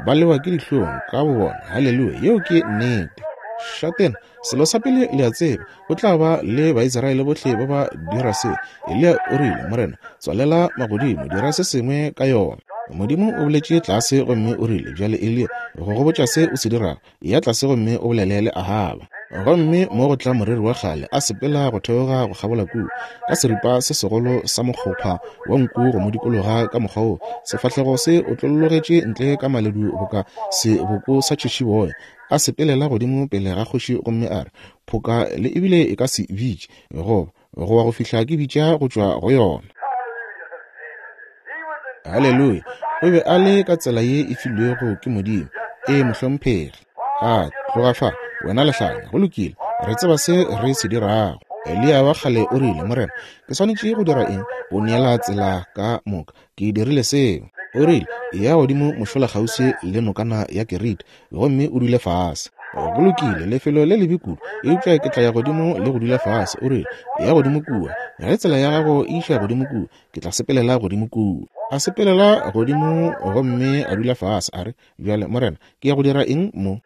Ba lewa ke dihlong ka bobona. Haleluya, yeo ke nnete. Šatena, selo sa pele le a tseba, o tla ba le Baisraele bohle ba ba dira se. Eliya o rile, Morena, tswalela magodimo, dira se sengwe ka yona. Modimo o boletše tlase gomme o rile, Bjale Eliya, go go botša se o se dirago, ya tlase gomme o bolele le Ahaba. Gomme mo go tla moreri wa kgale a sepela go theoga go kgabola kua, ka seripa se segolo sa mokgopha wa nku go mo dikologa ka mokgwa wo, sefahlego se otlollogetše ntle ka maledu boka seboko sa tšhišiboya, a sepelela godimo pele ga kgoši gomme a re, Phoka le ebile e ka se bitše, goba go wa go fihla ke bitša go tšwa go yona. Haleluya! O be a le ka tsela ye e filwego ke Modimo. Ee, mohlomphegi. A tloga fa, wena lehlanya. Go lokile, re tseba se re se dirago. Eliya wa kgale o rile, Morena, ke swanetše go dira eng? O neela tsela ka moka. Ke dirile seo. O rile, Eya godimo mošola kgauswi le nokana ya Kerite gomme o dule fase. Go lokile, lefelo le lebe kudu, eupša ke tla ya godimo le go dula fase. O rile, Eya godimo kua. Ge tsela ya gago e iša godimo kua, ke tla sepelela godimo kua. A sepelela godimo gomme a dula fase, a re, Bjale, Morena, ke ya go dira eng mo?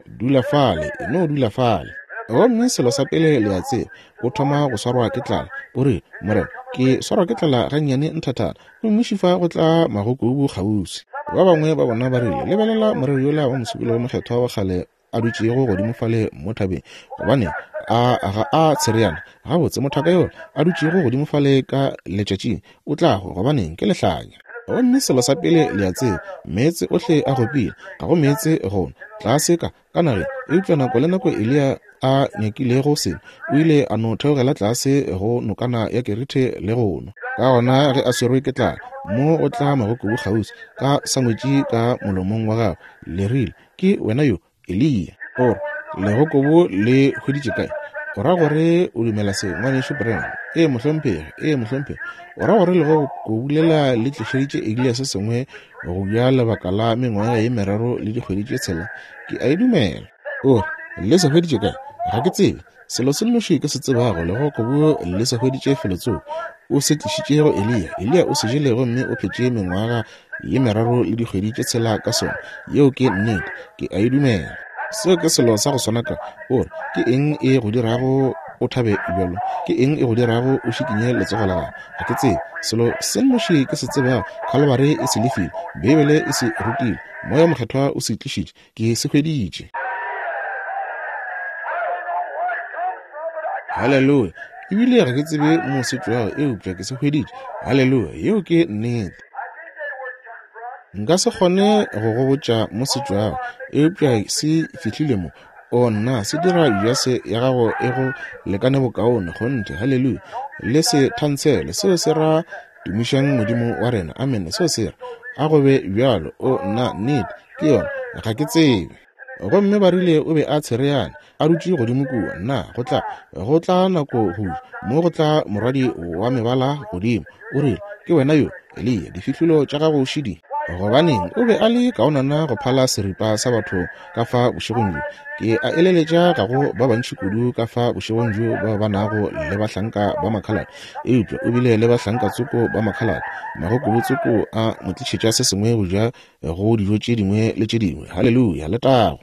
Dula fale, e no dula fale. Gomme selo sa pele le a tseba, o thoma go swarwa ke tlala. O re, Morena, ke swarwa ke tlala gannyane nthathana. Gomme šifa go tla magokobu kgauswi. Ba bangwe ba bona ba rile, Lebelela moreri yola wa mosepelo wo mokgethwa wa kgale a dutšego godimo fale mo thabeng. Gobane a ga a tshereana gabotse mothaka yola a dutšego godimo fale ka letšatšing o tla go gobaneng ke lehlanya. Gomme selo sa pele le a tseba, meetse ohle a gopile, ga go meetse go nwa, tlase ka, ka nageng. Eupša nako le nako Eliya a nyakilego selo, o ile a no theogela tlase go nokana ya Kerithe le go nwa. Ka gona ge a swerwe ke tlala, mo go tla magokobu kgauswi, ka sangwetši ka molomong wa gagwe, le rile, Ke wena yo, Eliya. O re, Legokobo le hweditše kae? O ra gore o dumela se, Ngwanešu Branham? Ee, mohlomphegi. Ee, mohlomphegi. O ra gore legokobu lela le tlišeditše Eliya se sengwe go ja lebaka la mengwaga ye meraro le dikgwedi tše tshela? Ke a e dumela. O re, Le se hweditše kae? Ga ke tsebe. Selo se nnoši ke se tsebago, legokobu le se hweditše felotsoko. O se tlišitše go Eliya. Eliya o se jele gomme o phetše mengwaga ye meraro le dikgwedi tše tshela ka sona. Yeo ke nnete. Ke a e dumela. Seo ke selo sa go swana ka. O re, Ke eng e go dirago o thabe bjalo? Ke eng e go dirago o šikinye letsogo la gago? Ga ke tsebe. Selo se nnoši ke se tsebago, Khalibari e se lefile. Beibele e se rutile. Moya wo Mokgethwa o se tlišitše. Ke se hweditše. Haleluya! Ebile ga ke tsebe mo se tšwago, eupša ke se hweditše. Haleluya! Yeo ke nnete. Nka se kgone go go botša mo se tšwago, eupša se fihlile mo. O nna, se dira jase ya gago e go lekane bokaone. Kgonthe. Haleluya! Le se thansele. Seo se ra Tumišang Modimo wa rena. Amene. Seo se re, a go be bjalo. O nna, nnete, ke yona. Ga ke tsebe. Gomme ba rile o be a tshereane, a dutše godimo kua. Nna, go tla, go tla nako go ja. Mo go tla morwadi wa mebala godimo. O rile, Ke wena yo, Eliya, difihlolo tša gago šidi. Gobaneng, o be a le kaonana go phala seripa sa batho ka fa bošegong bjo. Ke a eleletša ga go ba bantši kudu ka fa bošegong bjo bao ba nago le bahlanka ba makhalate, eupša o bile le bahlanka tsoko ba makhalate. Magokobu tsoko a mo tlišetša se sengwe go ja go dijo tše dingwe le tše dingwe. Haleluya, letago!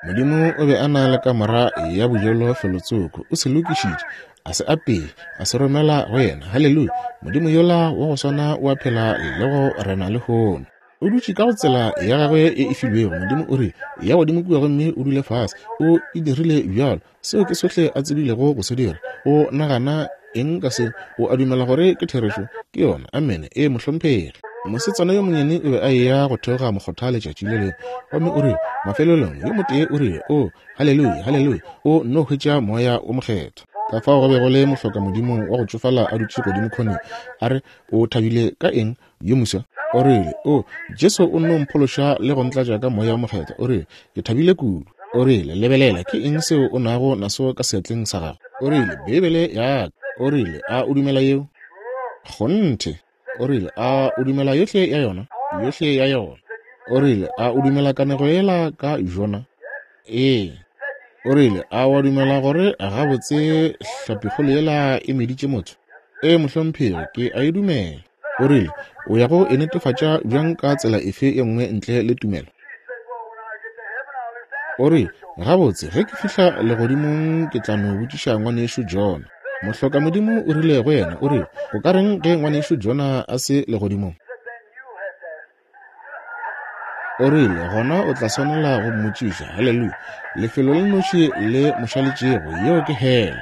Modimo o be a na le kamora ya bojelo felotsoko, o se lokišitše, a se apee, a se romela go yena. Haleluya! Modimo yola wa go swana o a phela le go rena lehono. O dutše ka go tsela ya gagwe e e filwego. Modimo o rile, Ya godimo kua gomme o dule fase. O e dirile bjalo. Seo ke sohle a tsebilego go se dira. O nagana eng ka seo? O a dumela gore ke therešo? Ke yona. Amene. Ee, mohlomphegi. Mosetsana yo monnyane o be a eya go theoga mokgotha letšatši le lengwe, gomme o rile, mafelelong, yo motee o rile, O, haleluya, haleluya, o nno hwetša Moya wo Mokgethwa. Ka fao go be go le mohlokamodimo wa go tšofala a dutše godimo khoneng, a re, O thabile ka eng, yo moswa? O rile, O, Jesu o nno mphološa le go ntlatša ka Moya wo Mokgethwa. O rile, Ke thabile kudu. O rile, Lebelela, ke eng seo o nago naso ka seatleng sa gago? O rile, Beibele ya ka. O rile, A o dumela yeo? Kgonthe. O rile, A o dumela yohle ya yona? Yohle ya yona. O rile, A o dumela kanego yela ka Jona? Ee. O rile, A wa dumela gore gabotse hlapikgolo yela e meditše motho? Ee, mohlomphegi, ke a e dumela. O rile, O ya go e netefatša bjang ka tsela efe ye nngwe ntle le tumelo? O rile, Gabotse, ge ke fihla legodimong ke tla no botšiša ngwanešu Jona. Mohlokamodimo o rile go yena, o rile, O ka reng ge ngwanešu Jona a se legodimong? O rile, Gona o tla swanela go mmotšiša. Haleluya! Lefelo le nnoši le mo šaletšego, yeo ke hele.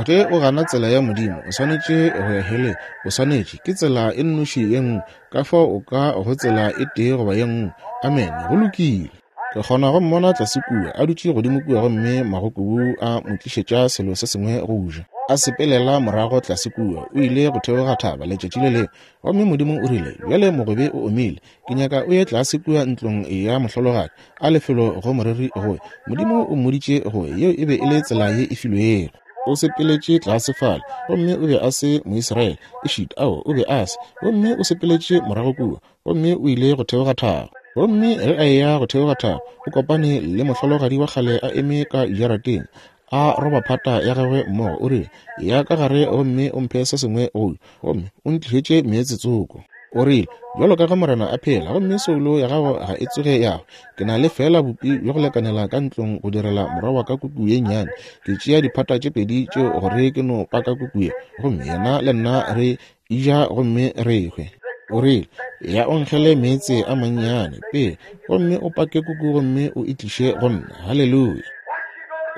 Ge o gana tsela ya Modimo, o swanetše go ya heleng. O swanetše. Ke tsela e nnoši ye nngwe. Ka fao o ka go tsela e tee goba ye nngwe. Amene. Go lokile. Ke kgona go mmona tlase kua, a dutše godimo kua gomme magokobu a mo tlišetša selo se sengwe go ja. A sepelela morago tlase kua, o ile go theoga thaba letšatši le lengwe. Gomme Modimo o rile, Bjale mogobe o omile. Ke nyaka o ye tlase kua ntlong ya mohlologadi, a lefelo go moreri go ya. Modimo o mmoditše go ya. Yeo e be e le tsela ye e filwego. O sepeletše tlase fale, gomme o be a se Moisraele, ešita, ao, o be a se. Gomme o sepeletše morago kua, gomme o ile go theoga thaba. Gomme ge a eya go theoga thaba, o kopane le mohlologadi wa kgale a eme ka jarateng, a roba phata ya gagwe mmogo. O rile, Ya ka gare gomme o mphe se sengwe go ja, gomme o ntlišetše meetse tsoko. O rile, Bjalo ka ge Morena a phela, gomme soulo ya gago ga e tsoge ya hwa, ke na le feela bupi bja go lekanela ka ntlong go direla morwa wa ka kuku ye nnyane. Ke tšea diphata tše pedi tšeo gore ke no paka kuku ye, gomme yena le nna re eja gomme re hwe. O rile, Ya o nkgele meetse a mannyane pele, gomme o pake kuku gomme o e tliše go nna. Haleluya!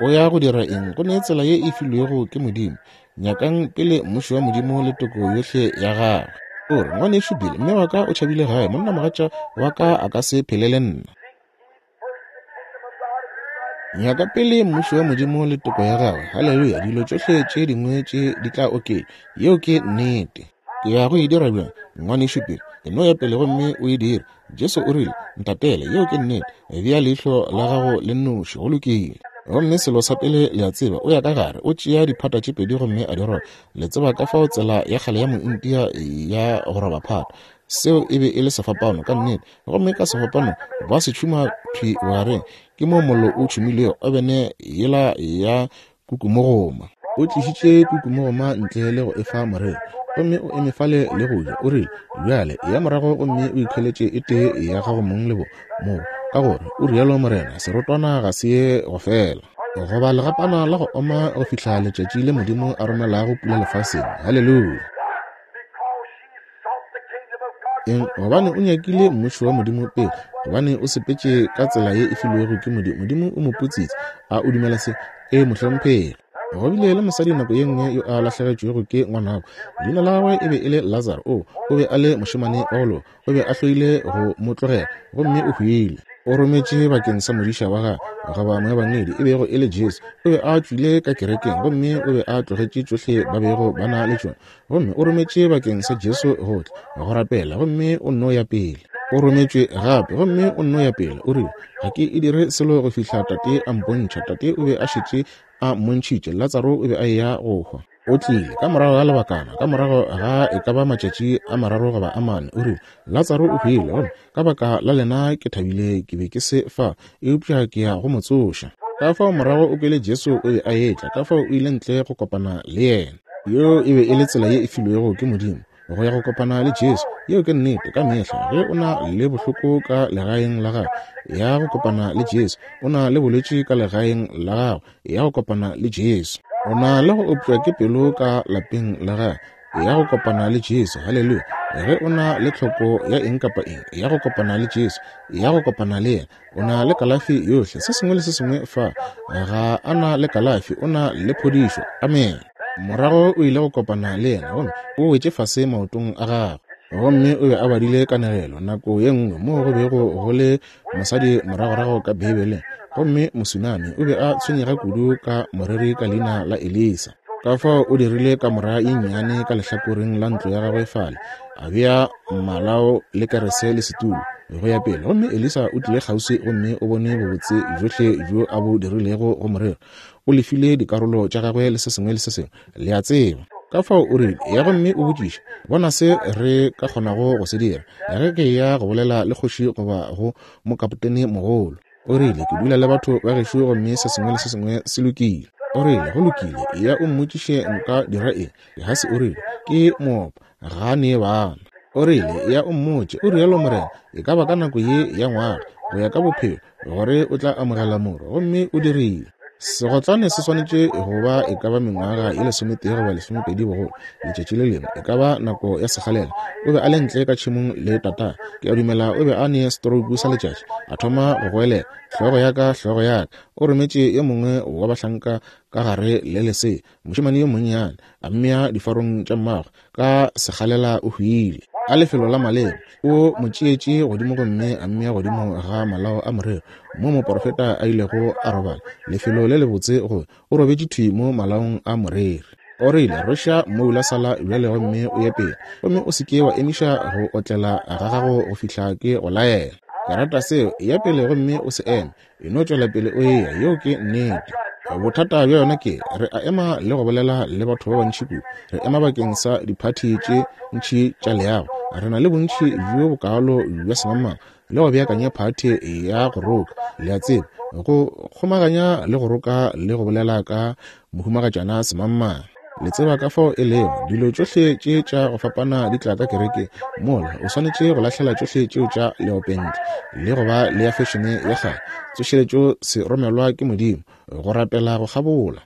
O ya go dira eng? Go ne tsela ye e filwego ke Modimo. Nyakang pele mmušo wa Modimo le toko yohle ya gagwe. O re, Ngwanešu Bill, mme wa ka o tšhabile gae, monnamogatša wa ka a ka se phele le nna. Nyaka pele mmušo wa Modimo le toko ya gagwe. Haleluya! Dilo tšohle tše dingwe tše di tla oketšwa. Yeo ke nnete. Ke ya go e dira bjang, ngwanešu Bill? E no ya pele gomme o e dire. Jesu o rile, Ntatele. Yeo ke nnete. Bea leihlo la gago le nnoši. Go lokile. Gomme selo sa pele le a tseba, o ya ka gare, o tšea diphata tše pedi gomme a di roba. Le tseba ka fao tsela ya kgale ya Mointia ya go roba phata. Seo e be e le sefapano, ka nnete. Gomme ka sefapano ba se tšhuma thwi bogareng. Ke moo mollo o tšhumilego obene yela ya kukumogoma. O tlišitše kukumogoma ntle le go e fa moreri, gomme o eme fale le go ja. O rile, Bjale, eya morago gomme o ikhweletše e tee ya gago mong le bo moo, ka gore, o rialo morena, serotwana ga se ye go fela, goba legapana la go oma go fihla letšatši le Modimo a romelago pula lefaseng. Haleluya! Eng? Gobane o nyakile mmušo wa Modimo pele, gobane o sepetše ka tsela ye e filwego ke Modimo. Modimo o mo putsitse. A o dumela se? Ee, mohlomphegi. Go bile le mosadi nako ye nngwe yo a lahlegetšwego ke ngwanabo. Leina la gagwe e be e le Lazaro. O, o be a le mošemane wa go loka. O be a hloile go mo tlogela, gomme o hwile. O rometše bakeng sa modiša wa gagwe, goba moebangedi, e bego e le Jesu. O be a tšwile ka kerekeng, gomme o be a tlogetše tšohle ba bego ba na le tšona. Gomme o rometše bakeng sa Jesu go tla go rapela, gomme o nno ya pele. O rometšwe gape, gomme o nno ya pele. O rile, Ga ke e dire selo go fihla Tate a mpontšha. Tate o be a šetše a mmontšhitše. Latsaro o be a eya go hwa. O tlile ka morago ga lebakana, ka morago ga e ka ba matšatši a mararo goba a mane, o rile, Latsaro o hwile, gomme ka baka la lena ke thabile ke be ke se fa, eupša ke ya go mo tsoša. Ka fao morago o kwele Jesu o be a etla, ka fao o ile ntle go kopana le yena. Yeo e be e le tsela ye e filwego ke Modimo go ya go kopana le Jesu. Yeo ke nnete. Ka mehla ge o na le bohloko ka legaeng la gago, ya go kopana le Jesu. O na le bolwetši ka legaeng la gago, ya go kopana le Jesu. O na le go opša ke pelo ka lapeng la gago, ya go kopana le Jesu. Haleluya! Ge o na le tlhoko ya eng kapa eng, ya go kopana le Jesu, ya go kopana le yena. O na le kalafi yohle, se sengwe le se sengwe fa. Ga a na le kalafi, o na le phodišo. Amen. Morago o ile go kopana le yena, gomme o wetše fase maotong a gagwe. Gomme o be a badile kanegelo nako ye nngwe moo go bego go le mosadi moragorago ka Beibeleng, gomme Mosunami o be a tshwenyega kudu ka moreri ka leina la Elisa. Ka fao o dirile kamora ye nnyane ka lehlakoreng la ntlo ya gagwe fale, a bea malao le kerese le setulo, go ya pele. Gomme Elisa o tlile kgauswi gomme o bone bobotse bjohle bjo a bo dirilego go moreri. O lefile dikarolo tša gagwe le se sengwe le se sengwe, le a tseba. Ka fao o rile, Eya gomme o botšiše, bona se re ka kgonago go se dira, ge ke eya go bolela le kgoši goba go mokapotene mogolo. O rile, Ke dula le batho ba gešo gomme se sengwe le se sengwe se lokile. O rile, Go lokile, eya o mmotšiše nka dira eng. Gehasi o rile, Ke moopa, ga a nee bana. O rile, Eya o mmotše, o rialo Morena, e ka ba ka nako ye ya ngwaga, go ya ka bophelo, gore o tla amogela morwa. Gomme o dirile. Segotlane se swanetše go ba e ka ba mengwaga ye lesometee goba lesomepedi bogolo. Letšatši le lengwe, e ka ba nako ya sekgalela, o be a le ntle ka tšhemong le tata. Ke a dumela o be a ne stroke sa letšatši. A thoma go goelela, Hlogo ya ka, hlogo ya ka! O rometše yo mongwe wa bahlanka ka gare le lesea, mošemane yo monnyane, a mmea difarong tša mmagwe. Ka sekgalela o hwile. Ka lefelo la maleba, o mo tšeetše godimo gomme a mmea godimo ga malao a morero, mo moprofeta a ilego a robala. Lefelo le lebotse go o robetše thwi mo malaong a moreri. O rile, Rweša mmoula sala bjale gomme o ye pele, gomme o se ke wa emiša go otlela ga gago go fihla ke go laela. Ke rata seo. Eya pele gomme o se eme. E no tšwela pele o eya. Yeo ke nnete. Bothata bja yona ke, re a ema le go bolela le batho ba bantši kudu. Re ema bakeng sa diphathi tše ntši tša leago. Re na le bontši bjo bokaalo bja semangmang le go beakanya phathi ya go roka, le a tseba, go kgomaganya le go roka le go bolela ka mohumagatšana semangmang. Le tseba ka fao e lego, dilo tšohle tše tša go fapana di tla ka kerekeng. Mola, o swanetše go lahlela tšohle tšeo tša leopentle le go ba le ya fešene ya kgale. Tsošeletšo se romelwa ke Modimo, go rapela go kgabola.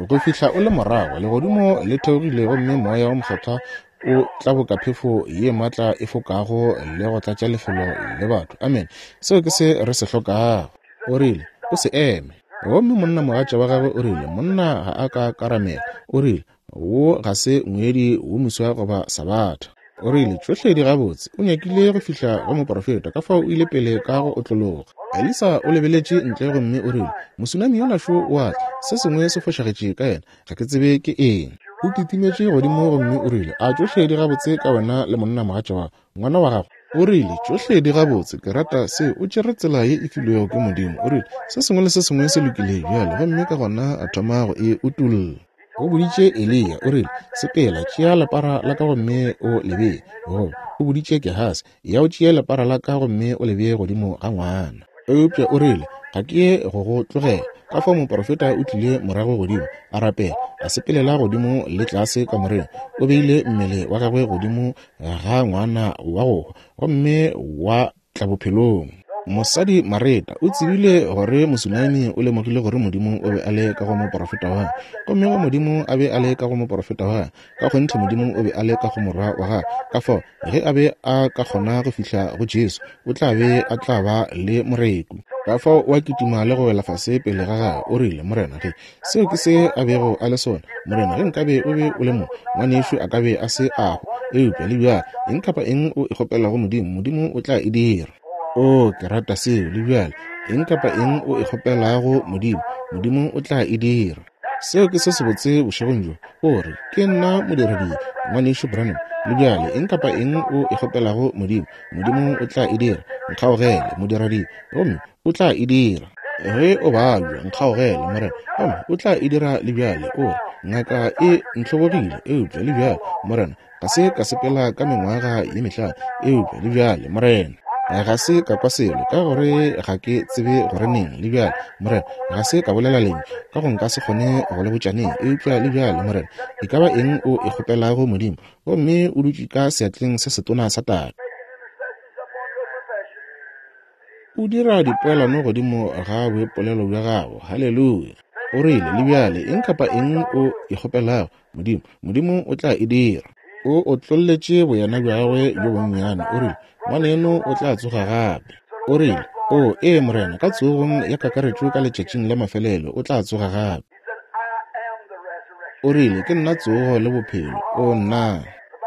Go fihla o le morago, legodimo le theogile gomme Moya wo Mokgethwa o tla boka phefo ye maatla e fokago le go tlatša lefelo le batho. Amene. Seo ke se re se hlokago. O rile, O se eme. Gomme monnamogatša wa gagwe o rile, Monna ga a ka karamela. O rile, Wo ga se ngwedi wo moswa goba sabatha. O rile, Tšohle di gabotse. O nyakile go fihla go moprofeta, ka fao o ile pele ka go otlologa. Elisa o lebeletše ntle gomme o rile, Mosunami yola šo o a tla. Se sengwe se fošagetše ka yena. Ga ke tsebe ke eng. O kitimetše godimo gomme o rile, A tšohle di gabotse ka wena le monnamogatša wa ngwana wa gago? O rile, Tšohle di gabotse. Ke rata se. O tšere tsela ye e filwego ke Modimo. O rile, Se sengwe le se sengwe se lokile bjale. Gomme ka gona a thoma go e utolla. O boditše Eliya, o rile, Sepela, tšea lepara la ka gomme o le bee. Goba, o boditše Gehasi, Ya o tšee lepara la ka gomme o le bee godimo ga ngwana. Eupša o rile, Ga ke ye go go tlogela. Ka fao moprofeta o tlile morago godimo, a rapela, a sepelela godimo le tlase kamoreng. O beile mmele wa gagwe godimo ga ngwana wa go hwa, gomme wa tla bophelong. Mosadi Mareta o tsebile gore Mosunami o lemogile gore Modimo o be a le ka go moprofeta wa gagwe. Gomme ge Modimo a be a le ka go moprofeta wa gagwe, ka kgonthe Modimo o be a le ka go Morwa wa gagwe. Ka fao, ge a be a ka kgona go fihla go Jesu, o tla be a tla ba le moreku. Ka fao o a kitima le go wela fase pele ga gagwe, o rile, Morena, ge seo ke se a bego a le sona, Morena, ge nkabe o be o le mo, ngwanešu a ka be a se a hwa. Eupša le bjale, eng kapa eng o e kgopelago Modimo, Modimo o tla e dira. Oo, ke rata seo, le bjale. Eng kapa eng o e kgopelago Modimo, Modimo o tla e dira. Seo ke se sebotse bošegong bjo. O re, Ke nna modiredi, Ngwanešu Branham. Le bjale, eng kapa eng o e kgopelago Modimo, Modimo o tla e dira. Nkgaogele, modiredi, gomme O tla e dira. Ge o babja, nkgaogele, Morena, gomme O tla e dira le bjale. O re, Ngaka e ntlhobogile, eupša le bjale, Morena, ga se ka sepela ka mengwaga ye mehlano, eupša le bjale, Morena, ga se ka kwa selo, ka gore ga ke tsebe gore neng, le bjale, Morena, ga se ka bolela lentšu, ka go nka se kgone go le botša neng, eupša le bjale, Morena, e ka ba eng o e kgopelago Modimo, gomme o dutše ka seatleng se setona sa Tate. O dira dipoelano godimo ga boipolelo bja gago. Haleluya! O rile, Le bjale, eng kapa eng o e kgopelago Modimo, Modimo o tla e dira. O otlolletše boyena bja gagwe bjo bonnyane, o rile, Ngwaneno o tla tsoga gape. O rile, O, ee, Morena, ka tsogong ya kakaretšo ka letšatšing la mafelelo o tla tsoga gape. O rile, Ke nna tsogo le bophelo. O nna!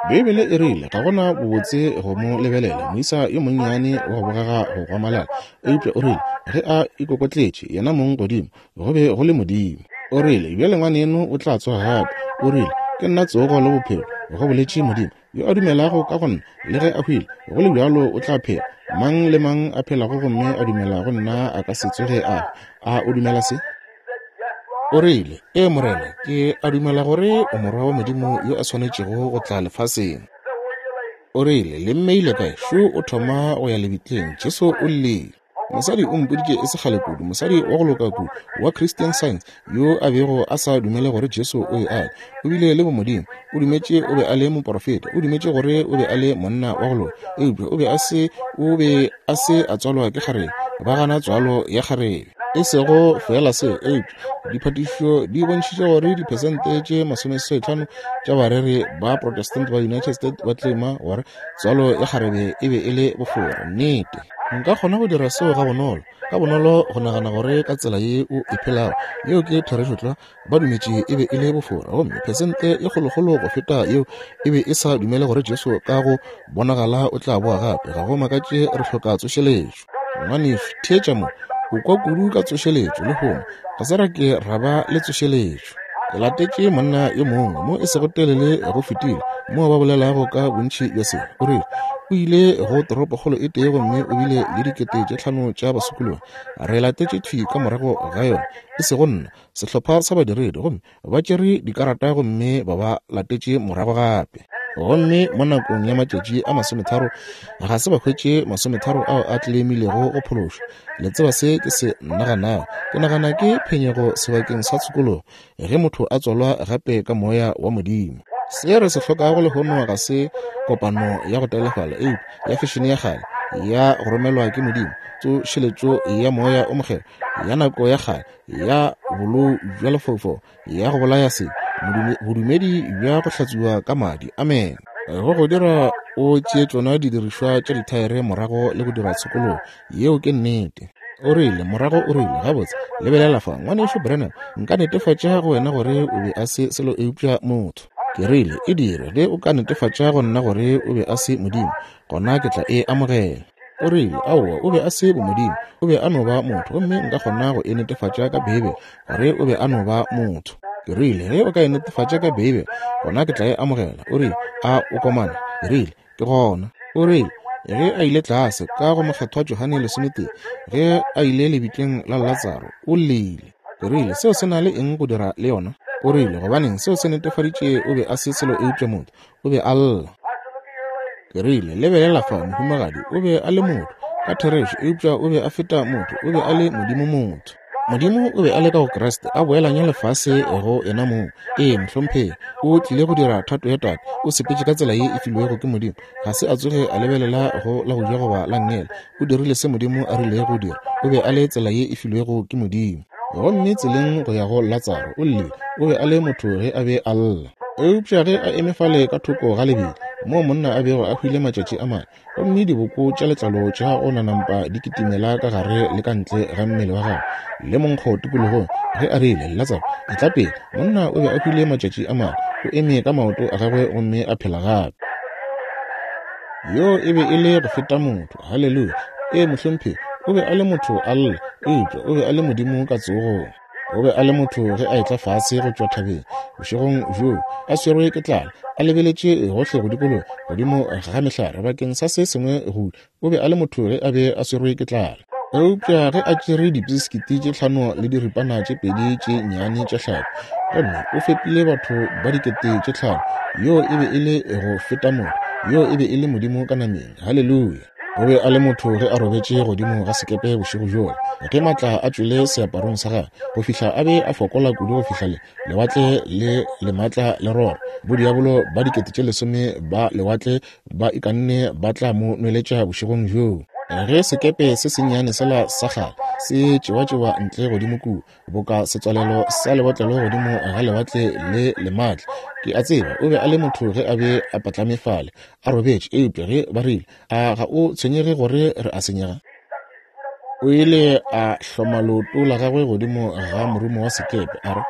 Beibele e rile, Ga gona bobotse go mo lebelela, moisa yo monnyane wa go bogega go gwamalala. Eupša o rile, ge a ikokotletše yena mong godimo, go be go le Modimo. O rile, Bjale ngwaneno o tla tsoga gape. O rile, Ke nna tsogo le bophelo, go boletše Modimo. Yo a dumelago ka go nna, le ge a hwile, go le bjalo o tla phela. Mang le mang a phelago gomme a dumela go nna a ka se tsoge a hwa. A o dumela se? O rile, Ee, Morena, ke a dumela gore o Morwa wa Modimo yo a swanetšego go tla lefaseng. O rile, Le mmeile kae? Šo o thoma go ya lebitleng. Jesu o llile. Mosadi o mpoditše e se kgale kudu, mosadi wa go loka kudu wa Christian Science, yo a bego a sa dumele gore Jesu o be a le, o bile le bomodimo, o dumetše o be a le moporofeta, o dumetše gore o be a le monna wa go loka, eupša o be a se, o be a se a tswalwa ke kgarebe. Ba gana tswalo ya kgarebe. E sego feela seo, eupša diphatišišo di bontšhitše gore diphesente tše masomeseswaitlhano tša bareri ba Protestant ba United States ba tlema gore tswalo ya kgarebe e be e le bofora. Nnete. Nka kgona go dira seo gabonolo, ka bonolo go nagana gore ka tsela ye o e phelago, yeo ke therešo tlwa. Ba dumetše e be e le bofora, gomme phesente e kgolokgolo go feta yeo e be e sa dumele gore Jesu ka go bonagala o tla boa gape. Ga go makatše re hloka tsošeletšo. Ngwanešu, theetša mo. O kwa kudu ka tsošeletšo lehono. Ga se ra ke ra ba le tsošeletšo. Ke latetše monna yo mongwe mo e sego telele go fetile, moo ba bolelago ka bontši bja se. O rile o ile go toropokgolo e tee gomme o bile le 5000 tša basokologi. Re latetše thwi ka morago ga yona, e sego nna, sehlopha sa badiredi, gomme ba tšere dikarata gomme ba ba latetše morago gape. Gomme mo nakong ya matšatši a masometharo ga se ba hwetše masometharo ao a tlelemilego go phološwa. Le tseba se ke se naganago? Ke nagana ke phenyego sebakeng sa tshokologo ge motho a tswalwa gape ka Moya wa Modimo. Se re se hlokago lehono ga se kopano ya go telefala, eupša ya fešene ya kgale ya go romelwa ke Modimo, tsošeletšo ya Moya o Mokgethwa ya nako ya kgale ya bolou bja lefaufau ya go bolaya se bodumedi bja go hlatswiwa ka madi. Amen. Go go dira o tšee tšona didirišwa tša dithaere morago le go dira tshokologo. Yeo ke nnete. O rile, morago o rile, Gabotse, lebelela fa, Ngwanešu Branham, nka netefatša go wena gore o be a se selo eupša motho. Ke rile, E dire, ge o ka netefatša go nna gore o be a se Modimo, gona ke tla e amogela. O rile, Aowa, o be a se bomodimo. O be a no ba motho. Gomme nka kgona go e netefatša ka Beibele, gore o be a no ba motho. Ke rile, Ge o ka e netefatša ka Beibele, gona ke tla e amogela. O rile, A o komana? Ke rile, Ke gona. O rile, Ge a ile tlase ka go Mokgethwa Johane lesometee, ge a ile lebitleng la Latsaro, o llile. Ke rile, Seo se na le eng go dira le yona? O rile, Gobaneng, seo se netefaditše o be a se selo eupša motho. O be a lla. Ke rile, Lebelela fa, mohumagadi, o be a le motho, ka therešo, eupša o be a feta motho, o be a le Modimo motho. Modimo o be a le ka go Kriste, a boelanya lefase go yena mong. Ee, mohlomphegi, o tlile go dira thato ya Tate, o sepetše ka tsela ye e filwego ke Modimo. Ga se a tsoge a lebelela go la go ja goba la nngele. O dirile se Modimo a rilego go dira. O be a le tsela ye e filwego ke Modimo. Gomme tseleng go ya go Latsaro, o llile. O be a le motho ge a be a lla. Eupša ge a eme fale ka thoko ga lebitla, moo monna a bego a hwile matšatši a mane, gomme diboko tša letlalo tša go nanampa di kitimela ka gare le ka ntle ga mmele wa gagwe, le monkgo tikologong, ge a rile, Latsaro, etla pele, monna o be a hwile matšatši a mane, o eme ka maoto a gagwe gomme a phela gape. Yoo e be e le go feta motho. Haleluya! Ee, mohlomphegi, o be a le motho a lla, eupša o be a le Modimo ka tsogong. O be a le motho ge a etla fase go tšwa thabeng bošegong bjoo, a swerwe ke tlala, a lebeletše gohle go dikologa godimo ga mehlare bakeng sa se sengwe go. O be a le motho ge a be a swerwe ke tlala. Eupša ge a tšere dipisikiti tše tlhano le diripana tše pedi tše nnyane tša hlapi, gomme o fepile batho ba 5000, yoo e be e le go feta motho, yoo e be e le Modimo ka nameng. Haleluya! O be a le motho ge a robetše godimo ga sekepe bošego bjola, ge maatla a tšwele seaparong sa gagwe, go fihla a be a fokola kudu go fihla le lewatle le le maatla le rora. Bodiabolo ba 10,000 ba lewatle ba ikanne ba tla mo nweletša bošegong bjoo. Ge sekepe se sennyane sela sa kgale se tšewatšewa ntle godimo kua, boka setswalelo sa lebotlelo godimo ga lewatle le le maatla, ke a tseba o be a le motho ge a be a patlame fale a robetše. Eupša ge ba rile, A ga o tshwenyege gore re a senyega? O ile a hloma leoto la gagwe godimo ga morumo wa sekepe, a re,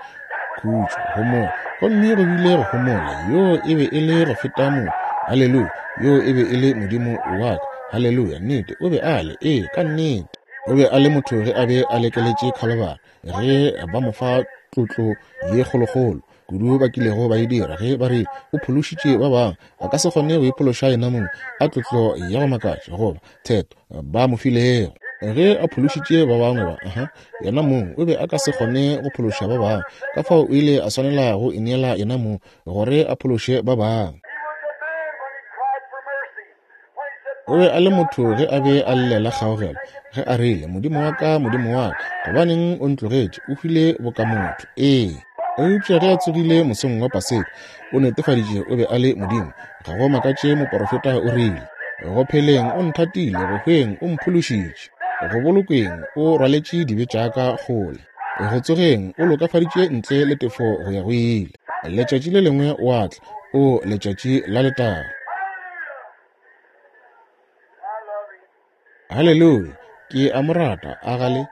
Khutšo, homola. Gomme go bile go homola. Yoo e be e le go feta motho. Haleluya! Yoo e be e le Modimo wa ka. Haleluya! Nnete, o be a le. Ee, ka nnete. O be a le motho ge a be a lekeletše Khalabara, ge ba mo fa tlotlo ye kgolokgolo. kudu ba kilego ba e dira, ge ba rile, O phološitše ba bangwe, a ka se kgone go iphološa yenamong. A tlotlo ya go makatša, goba theto ba mo filego. Ge a phološitše ba bangwe ba, aha, yena mong o be a ka se kgone go phološa ba bangwe, ka fao o ile a swanela go ineela yena mong gore a phološe ba bangwe. O be a le motho ge a be a llela kgaogelo, ge a rile, Modimo wa ka, Modimo wa ka, gobaneng o ntlogetše? O hwile boka motho. Ee. Eupša ge a tsogile mosong wa Paseka, o netefaditše o be a le Modimo. Ga go makatše moporofeta o rile, Go pheleng o nthatile, go hweng o mphološitše, go bolokweng o rwaletše dibe tša ka kgole, go tsogeng o lokafaditše ntle le tefo go ya go ile. Letšatši le lengwe o a tla, o letšatši la letago. Haleluya! Ke a mo rata, a ga le?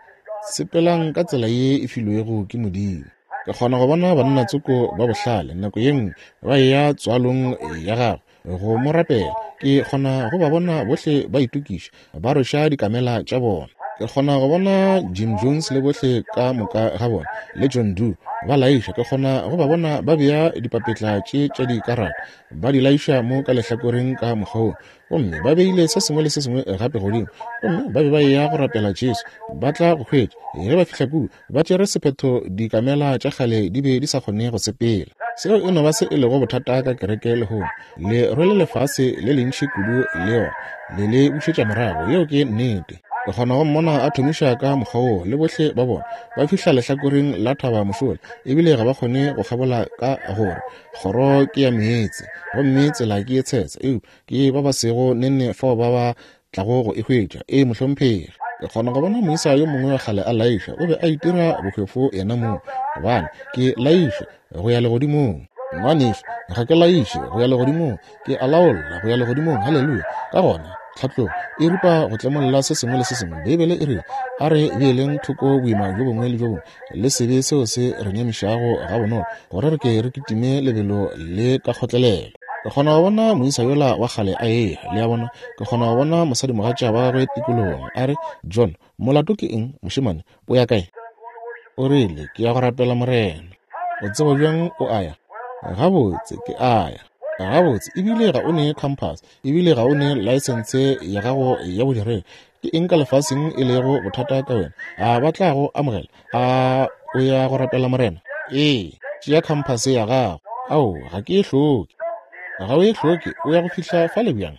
Sepelang ka tsela ye e filwego ke Modimo. Ke kgona go bona banna tsoko ba bohlale nako ye nngwe ba eya tswalong ya gagwe go mo rapela. Ke kgona go ba bona bohle ba itokiša, ba rweša dikamela tša bona. Ke kgona go bona Jim Jones le bohle ka moka ga bona, le John Doe, ba laiša. Ke kgona go ba bona ba bea dipapetla tše tša dikarata, ba di laiša mo ka lehlakoreng ka mokgwa wo, gomme ba beile se sengwe le se sengwe gape godimo, gomme ba be ba eya go rapela Jesu. Ba tla go hwetša. Ge ba fihla kua, ba tšere sephetho, dikamela tša kgale di be di sa kgone go sepela. Seo e no ba se e lego bothata ka kereke lehono. Le rwele lefase le lentši kudu le yona, le le bušetša morago. Yeo ke nnete. Ke kgona go mmona a thomiša ka mokgwa woo, le bohle ba bona ba fihla lehlakoreng la thaba mošola, ebile ga ba kgone go kgabola ka gore kgoro ke ya meetse gomme tsela ke ye tshesa, eupša ke ba ba sego nenne fao ba ba tlago go e hwetša. Ee, mohlomphegi. Ke kgona go bona moisa yo mongwe wa kgale a laiša, o be a itira bohwefo yena mong, gobane ke laiša go ya legodimong. Ngwanešu, ga ke laiše go ya legodimong, ke a laolla go ya legodimong. Haleluya! Ka gona, tlhatlogo e ripa go tlemolla se sengwe le se sengwe. Beibele e rile, A re beeleng thoko boima bjo bongwe le bjo bongwe le sebe seo se re nyamišago gabonolo, gore re ke re kitime lebelo le ka kgotlelelo. Ke kgona go bona moisa yola wa kgale a eya, le a bona. Ke kgona go bona mosadimogatša wa gagwe tikologong, a re, John, molato ke eng, mošemane? O ya kae? O rile, Ke ya go rapela Morena. O tseba bjang o a ya? Gabotse, ke a ya. Gabotse, ebile ga o ne compass, ebile ga o ne laesense ya gago ya bodiredi. Ke eng ka lefaseng e lego bothata ka wena? A ba tla go amogela? A o ya go rapela Morena? Ee, tšea khamphase ya gago. Ao, ga ke e hloke. Ga o e hloke, o ya go fihla fale bjang?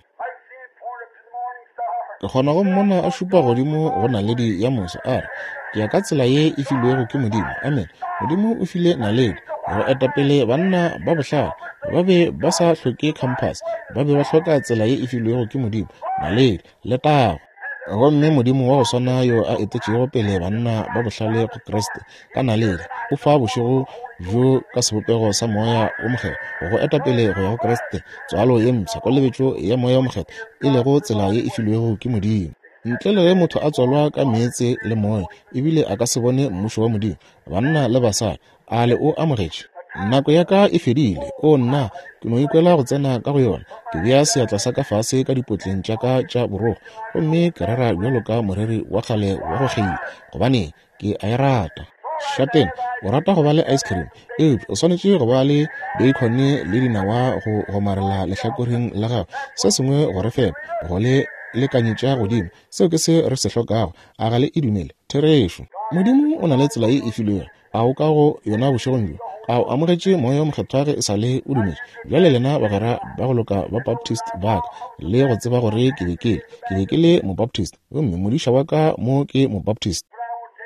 Ke kgona go mmona a šupa godimo go naledi ya moso, a re, Ke ya ka tsela ye e filwego ke Modimo. Amen. Modimo o file naledi go eta pele banna ba bohlale. Ba be ba sa hloke khamphase, ba be ba hloka tsela ye e filwego ke Modimo, naledi. Letago! Gomme Modimo wa go swana yo a etetšego pele banna ba bohlale go Kriste ka naledi, o fa bošego bjo ka sebopego sa Moya wo Mokgethwa go eta pele go ya go Kriste, tswalo ye mpsha, kolobetšo ya Moya wo Mokgethwa, e lego tsela ye e filwego ke Modimo. Ntle le ge motho a tswalwa ka meetse le Moya, ebile a ka se bone Mmušo wa Modimo. Banna le basadi, A le o amogetše? Nako ya ka e fedile. O nna, ke no ikwela go tsena ka go yona. Ke bea seatla sa ka fase ka dipotleng tša ka tša borogo, gomme ke rera bjalo ka moreri wa kgale wa go kgeila, gobane ke a e rata. Šatena, o rata go ba le ice cream, eupša o swanetše go ba le bacon le dinawa go gomarela lehlakoreng la gago, se sengwe go re fepa, go le lekanyetša godimo. Seo ke se re se hlokago. A ga le e dumele? Therešo. Modimo o na le tsela ye e filwego. A o ka go yona bošegong bjo? A o amogetše Moya wo Mokgethwa ge e sa le o dumetše? Bjale lena bagwera ba go loka ba Baptist ba ka, le go tseba gore ke be ke le, ke be ke le Mobaptist, gomme modiša wa ka mo ke Mobaptist.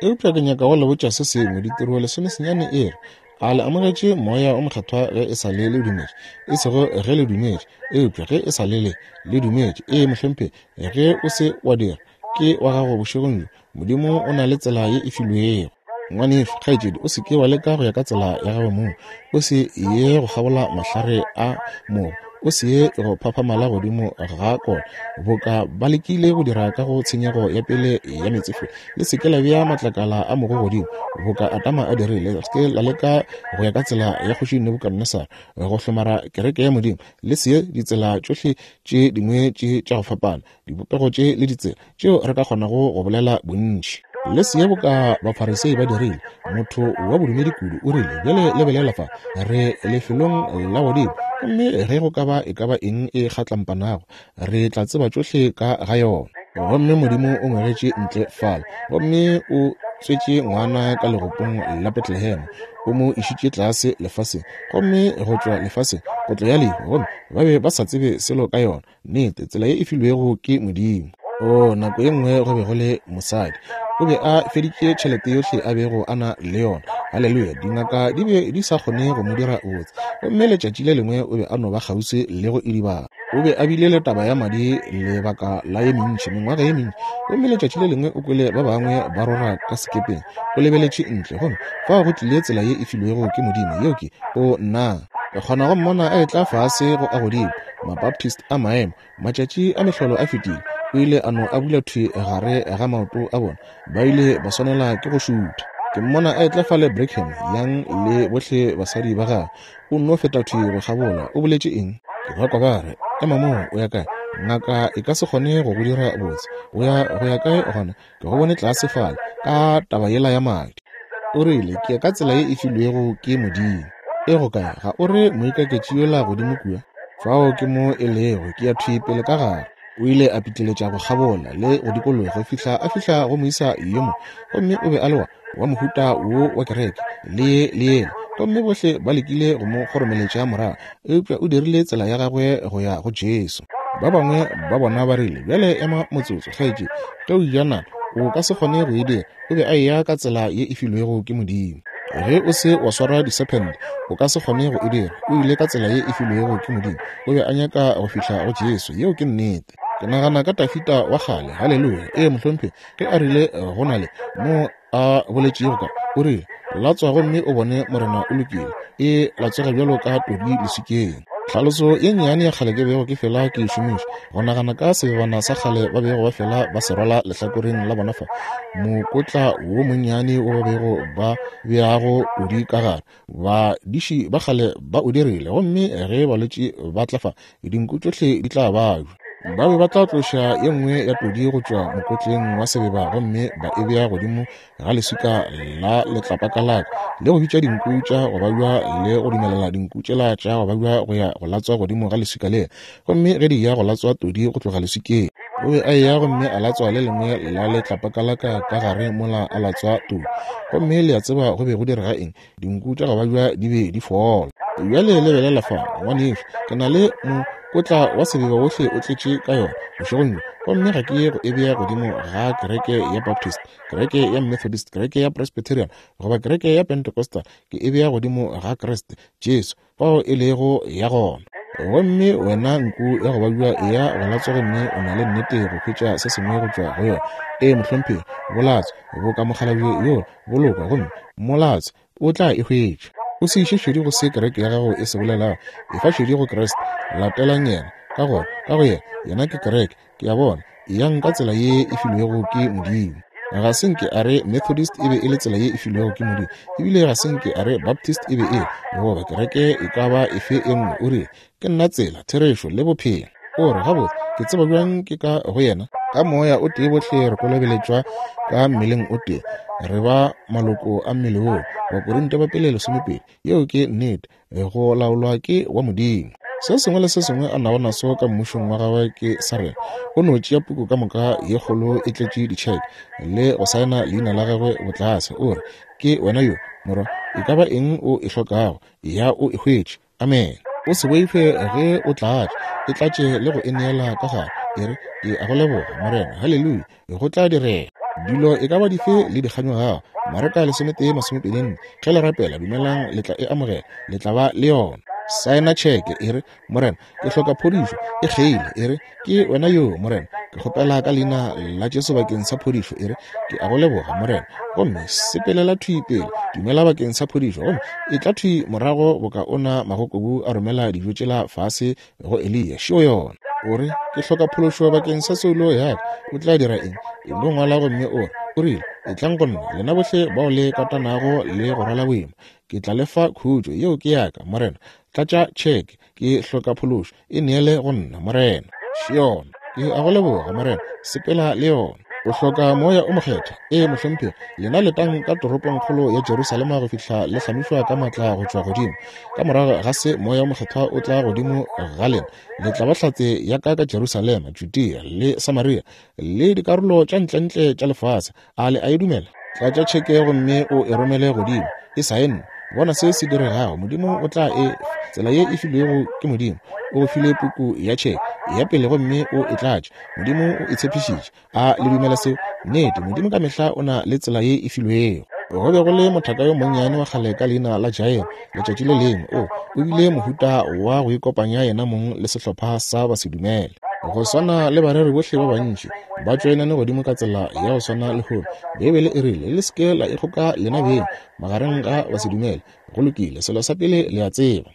Eupša ke nyaka go le botša se sengwe, Ditiro lesomesenyane e re, A le amogetše Moya wo Mokgethwa ge e sa le le dumetše? E sego ge le dumetše, eupša ge e sa le le, le dumetše. Ee, mohlomphegi, ge o se wa dira, ke wa gago bošegong bjo. Modimo o na le tsela ye e filwego. Ngwanešu, kgaetšedi, o se ke wa leka go ya ka tsela ya gago mong. O se ye go kgabola mahlare a mogo. O se ye go phaphamala godimo ga kona, boka ba lekile go dira ka go tshenyego ya pele ya meetsefula. Le se ke la bea matlakala a mogo godimo, boka Adama a dirile. Le se ke la leka go ya ka tsela ya Kgoši Nebukadnesar, go hlomara kereke ya Modimo. Le se ye ditsela tšohle tše dingwe tše tša go fapana, dibopego tše le ditsela tšeo re ka kgonago go bolela bontši. Le se ye boka Bafarisei ba dirile, motho wa bodumedi kudu o rile, Bjale lebelela fa, re lefelong la godimo, gomme ge go ka ba e ka ba eng e kgatlampanago, re tla tseba tšohle ka ga yona. Gomme Modimo o ngwegetše ntle fale, gomme o tswetše ngwana ka legopong la Betlehema, o mo išitše tlase lefaseng, gomme go tšwa lefaseng kotlo ya lehu, gomme ba be ba sa tsebe selo ka yona. Nnete, tsela ye e filwego ke Modimo. O, nako ye nngwe go be go le mosadi. O be a feditše tšhelete yohle a bego a na le yona. Haleluya! Dingaka di be di sa kgone go mo dira botse. Gomme letšatši le lengwe o be a no ba kgauswi le go idibala. O be a bile le taba ya madi lebaka la ye mentši, mengwaga ye mentši. Gomme letšatši le lengwe o kwele ba bangwe ba rora ka sekepeng. O lebeletše ntle, gomme fao go tlile tsela ye e filwego ke Modimo. Yeo ke, o, nna. Ke kgona go mmona a etla fase go a godimo. Mabaptist a maemo, matšatši a mehlolo a fetile, o ile a no a bula thwi gare ga maoto a bona. Ba ile ba swanela ke go šutha. Ke mmona a etla fale Brigham Young le bohle basadi ba gagwe. O nno feta thwi go kgabola. O boletše eng? Ke ba kwa ba re, Ema moo, o ya kae? Ngaka e ka se kgone go go dira botse. O ya go ya kae gona? Ke go bone tlase fale ka taba yela ya madi. O rile, Ke ya ka tsela ye e filwego ke Modimo. E go kae? Ga o re moikaketši yola godimo kua? Fao ke mo e lego. Ke ya thwi pele ka gare. O ile a pitleletša go kgabola le go dikologa go fihla a fihla go moisa yo mongwe, gomme o be a le wa, wa mohuta wo wa kereke, le ye le yela, gomme bohle ba lekile go mo kgoromeletša morago, eupša o dirile tsela ya gagwe go ya go Jesu. Ba bangwe ba bona ba rile, Bjale ema motsotso, kgaetšedi, ge o eja nama, o ka se kgone go e dira. O be a eya ka tsela ye e filwego ke Modimo. Ge o se wa swara disephente, o ka se kgone go e dira. O ile ka tsela ye e filwego ke Modimo. O be a nyaka go fihla go Jesu. Yeo ke nnete. Ke nagana ka Dafida wa kgale. Haleluya. Ee, mohlomphegi. Ge a rile go na le mo a boletšego ka, o rile, Latswa gomme o bone Morena o lokile. E latswega bjalo ka todi leswikeng. Tlhaloso ye nnyane ya kgale ke bego ke fela ke e šomiša, go nagana ka sebebana sa kgale ba bego ba fela ba se rwala lehlakoreng la bona fa, mokotla wo monnyane wo ba bego ba beago todi ka gare. Badiši ba kgale ba o dirile, gomme ge balwetši ba tla fa, dinku tšohle di tla babja. Ba be ba tla tloša ye nngwe ya todi go tšwa mokotleng wa sebeba gomme ba e bea godimo ga leswika la letlapakalaka le go bitša dinku tša go babja le go dumelela dinku tšela tša go babja go ya go latswa godimo ga leswika lela. Gomme ge di ya go latswa todi go tloga leswikeng, o be a eya gomme a latswa le lengwe la letlapakalaka ka gare mola a latswa todi. Gomme le a tseba go be go direga eng? Dinku tša go babja di be di fola. Bjale lebelela fa, ngwanešu, ke na le mokotla wa sebeba wohle o tletše ka yona bošegong bjo, gomme ga ke ye go e bea godimo ga kereke ya Baptist, kereke ya Methodist, kereke ya Presbyterian, goba kereke ya Pentecostal. Ke e bea godimo ga Kriste Jesu, fao e lego ya gona. Gomme wena nku ya go babja eya go latswa gomme o na le nnete go hwetša se sengwe go tšwa go yona. Ee, mohlomphegi, bolatswa boka mokgalabje yo bolokwa gomme molatswe o tla e hwetša. O se iše šedi go se kereke ya gago e se bolelago, efa šedi go Kriste, latelang Yena, ka gore ka go Yena, Yena ke Kereke, ke a bona, eyang ka tsela ye e filwego ke Modimo. Ga se nke a re Methodist e be e le tsela ye e filwego ke Modimo, ebile ga se nke a re Baptist e be e le, goba kereke e ka ba efe e nngwe. O rile, Ke nna tsela, therešo, le bophelo. O re, Gabotse, ke tseba bjang ke ka go Yena? Ka Moya o tee bohle re kolobeletšwa ka mmeleng o tee, re ba maloko a mmele woo. Bakorinte ba Pele 12. Yeo ke nnete. Go laolwa ke wa Modimo. Se sengwe le se sengwe a nago naso ka mmušong wa gagwe ke sa rena. O no tšea puku ka moka ye kgolo e tletše ditšheke le go saena leina la gagwe botlase. O re, Ke wena yo, morwa, e ka ba eng o e hlokago, ya o e hwetše. Amene. O se boife ge o tlatša, e tlatše le go e neela ka gare. E re, Ke a go leboga, Morena. Haleluya! Go tla direga. Dilo e ka ba dife le di kganyogago. Mareka 11, 24. Ge le rapela, dumelang le tla e amogela, le tla ba le yona. Saena tšheke, e re, Morena, ke hloka phodišo. E kgeile, e re, Ke wena yoo, Morena. Ke kgopela ka Leina la Jesu bakeng sa phodišo. E re, Ke a go leboga, Morena. Gomme sepelela thwi pele, dumela bakeng sa phodišo, gomme etla thwi morago boka ona magokobu a romela dijo tšela fase go Eliya. Šeo yona. O re, Ke hloka phološo bakeng sa soulo ya ka. O tla dira eng? E no ngwala gomme o re, O rile, Etlang go nna, lena bohle bao le katanago le go rwala boima. Ke tla le fa khutšo. Yeo ke ya ka, Morena. Tlatša tšheke. Ke hloka phološo. E neele go nna, Morena. Še yona. Ke a go leboga, Morena. Sepela le yona. O hloka Moya o Mokgethwa. Ee, mohlomphegi. Lena letang ka toropongkgolo ya Jerusalema go fihla le hlamišwa ka maatla go tšwa godimo. Ka morago ga se Moya o Mokgethwa o tla godimo ga lena, le tla ba hlatse ya ka ka Jerusalema, Judea le Samaria le dikarolo tša ntlentle tša lefase. A le a e dumela? Tlatša tšheke gomme o e romele godimo. E saenne. Bona se se diregago. Modimo o tla e fa. Tsela ye e filwego ke Modimo. O go file puku ya tšheke ya pele gomme o e tlatše. Modimo o e tshepišitše. A le dumela seo? Nnete, Modimo ka mehla o na le tsela ye e filwego. Go be go le mothaka yo monnyane wa kgale ka leina la Jairo, letšatši le lengwe. O, o bile mohuta wa go ikopanya yena mong le sehlopha sa basedumele. Go swana le bareri bohle ba bantši, ba tšoenane godimo ka tsela ya go swana lehono. Beibele e rile, Le se ke la ikgoka lena beng magareng ga basedumele. Go lokile, selo sa pele le a tseba.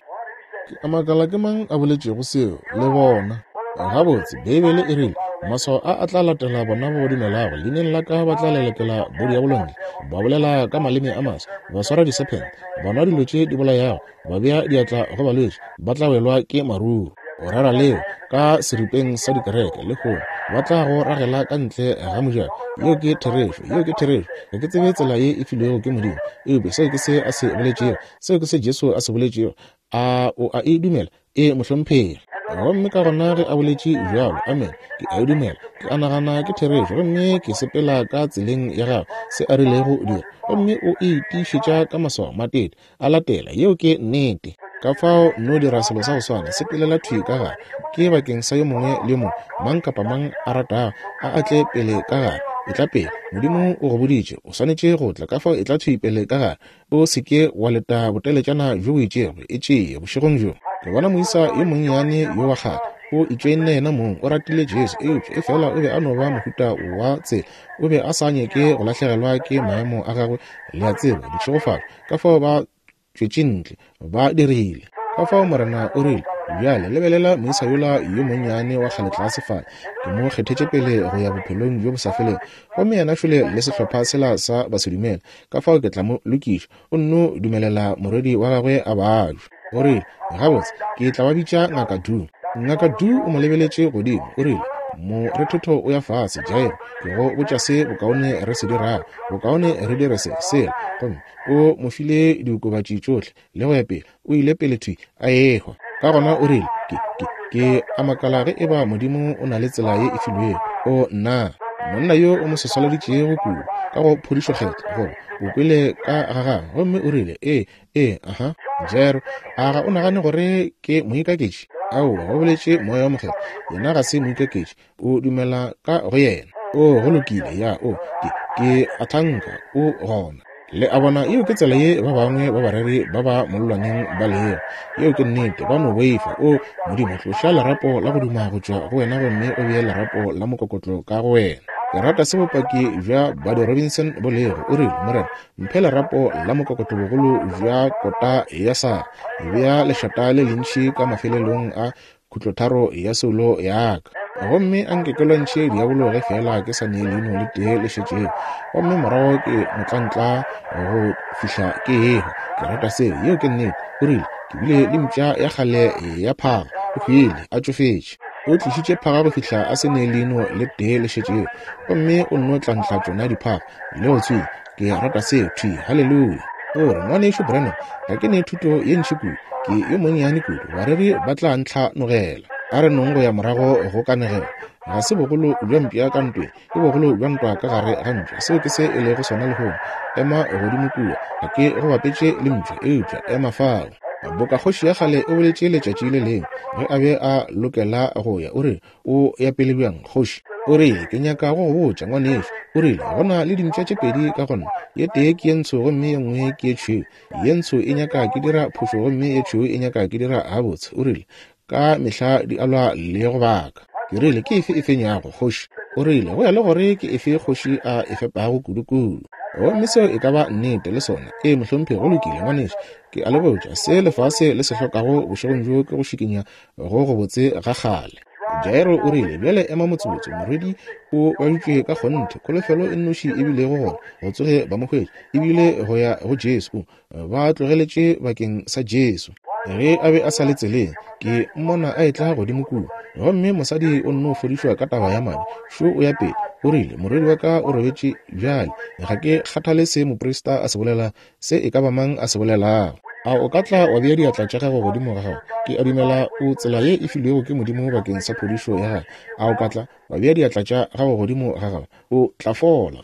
Ke a makala ke mang a boletšego seo, le bona. Gabotse, Beibele e rile, Maswao a a tla latela bona ba ba dumelago, leineng la ka ba tla lelekela bodiabolo ntle, ba bolela ka maleme a maswa, ba swara disephente, ba nwa dilo tše di bolayago, ba bea diatla go balwetši, ba tla welwa ke maruru. O rera leo ka seripeng sa dikereke lehono, ba tla go ragela ka ntle ga mojako. Yeo ke therešo, yeo ke therešo. Ga ke tsebe tsela ye e filwego ke Modimo, eupša seo ke se a se boletšego. Seo ke se Jesu a se boletšego. A o a e dumela? Ee, mohlomphegi. Gomme ka gona ge a boletše bjalo, amene, ke a e dumela. Ke a nagana ke therešo, gomme ke sepela ka tseleng ya gagwe, se a rilego dira. Gomme o e tiišetša ka maswao, matete a latela. Yeo ke nnete. Ka fao nno dira selo sa go swana, sepelela thwi ka gare. Ke bakeng sa yo mongwe le yo mongwe, mang kapa mang a ratago, a a tle pele ka gare. Etla pele. Modimo o go boditše o swanetše go tla, ka fao etla thwi pele ka gare. O se ke wa leta boteletšana bjo bo itšego, e tšee bošegong bjo. Ke bona moisa yo monnyane yo wa kgale, o itšoenne yena mong, o ratile Jesu, eupša efela o be a no ba mohuta wa tsela. O be a sa nyake go lahlegelwa ke maemo a gagwe, le a tseba, ditšhegofatšo. Ka fao ba tšwetše ntle, ba dirile. Ka fao Morena o rile, Bjale lebelela moisa yola yo monnyane wa kgale tlase fale, ke mo kgethetše pele go ya bophelong bjo bo sa felego. Gomme yena šole le sehlopha sela sa basedumele, ka fao ke tla mo lokiša. O nno dumelela morwedi wa gagwe a babja. O rile, Gabotse, ke tla ba bitša Ngaka Du. Ngaka Du o mo lebeletše godimo, o rile, Morethetho o ya fase, Jairo. Ke go botša se bokaone re se dirago. Bokaone re dire se, sela. Gomme o mo file diokobatši tšohle, le go ya pele. O ile pele thwi, a ehwa. Ka gona o rile, Ke, ke, ke a makala ge eba Modimo o na le tsela ye e filwego. O, nna! Monna yo o mo seswaleditšego kudu, ka go phodišo Kgethwa, goba o kwele ka ga gagwe, gomme o rile, Ee, ee, aha. Jairo, a ga o nagane gore ke moikaketši? Aowa, go boletše Moya wo Mokgethwa, yena ga se moikaketši. O dumela ka go yena. O, go lokile, ya, o, ke, ke a thanka o gona. Le a bona, yeo ke tsela ye ba bangwe ba bareri ba ba mollwaneng ba lego. Yeo ke nnete, ba no boifa. O, Modimo, tloša lerapo la go duma go tšwa go wena gomme o bee lerapo la mokokotlo ka go wena. Ke rata se bopaki bja Buddy Robinson bo lego. O rile, Morena, mphe lerapo la mokokotlo bogolo bja kota ya sa. Bea lešata le lentši ka mafelelong a khutlotharo ya soulo ya ka. Gomme a nke ke lwantšhe diabolo ge feela ke sa ne leino le tee le šetšego, gomme morago ke motlantla go fihla ke ehwa. Ke rata seo, yeo ke nnete. O rile, Ke bile le mpša ya kgale ya phaga, o hwile, a tšofetše. O tlišitše phaga go fihla a se ne leino le tee le šetšego, gomme o nno tlantla tšona diphaga le go tswinya. Ke rata seo, thwi. Haleluya! O re, Ngwanešu Branham, ga ke ne thuto ye ntši kudu. Ke yo monnyane kudu. Bareri ba tla ntlhanogela. A re nong go ya morago go kanegelo. Ga se bogolo bja mpša ka ntweng, ke bogolo bja ntwa ka gare ga mpša. Seo ke se e lego sona lehono. Ema godimo kua. Ga ke go bapetše le mpša, eupša ema fao. Boka kgoši ya kgale e boletše letšatši le lengwe, ge a be a lokela go ya, o rile, O ya pele bjang, kgoši? O rile, Ke nyaka go go botša, ngwanešu. O rile, Go na le dimpša tše pedi ka go nna. Ye tee ke ye ntsho gomme ye nngwe ke ye tšhweu. Ye ntsho e nyaka ke dira phošo gomme ye tšhweu e nyaka ke dira gabotse. O rile, Ka mehla di a lwa le go baka. Ke rile, Ke efe e fenyago, kgoši? O rile, Go ya le gore ke efe kgoši a e fepago kudukudu. Gomme seo e ka ba nnete, le sona. Ee, mohlomphegi, go lokile, ngwanešu. Ke a le botša, se lefase le se hlokago bošegong bjo ke go šikinya go gobotse ga kgale. Jairo o rile, Bjale ema motsotso, morwedi o badutšwe ka kgonthe. Kholofelo e nnoši e bilego gona go tsoge ba mo hwetša, e bile go ya go Jesu. Ba tlogeletše bakeng sa Jesu. Ge a be a sa le tseleng, ke mmona a etla godimo kua. Gomme mosadi o nno fodišwa ka taba ya madi. Šo o ya pele. O rile, Morwedi wa ka o robetše bjale. Ga ke kgathale se moprista a se bolela, se e ka ba mang a se bolelago. A o ka tla wa bea diatla tša gago godimo ga gago? Ke a dumela o tsela ye e filwego ke Modimo bakeng sa phodišo ya gago. A o ka tla wa bea diatla tša gago godimo ga gago? O tla fola.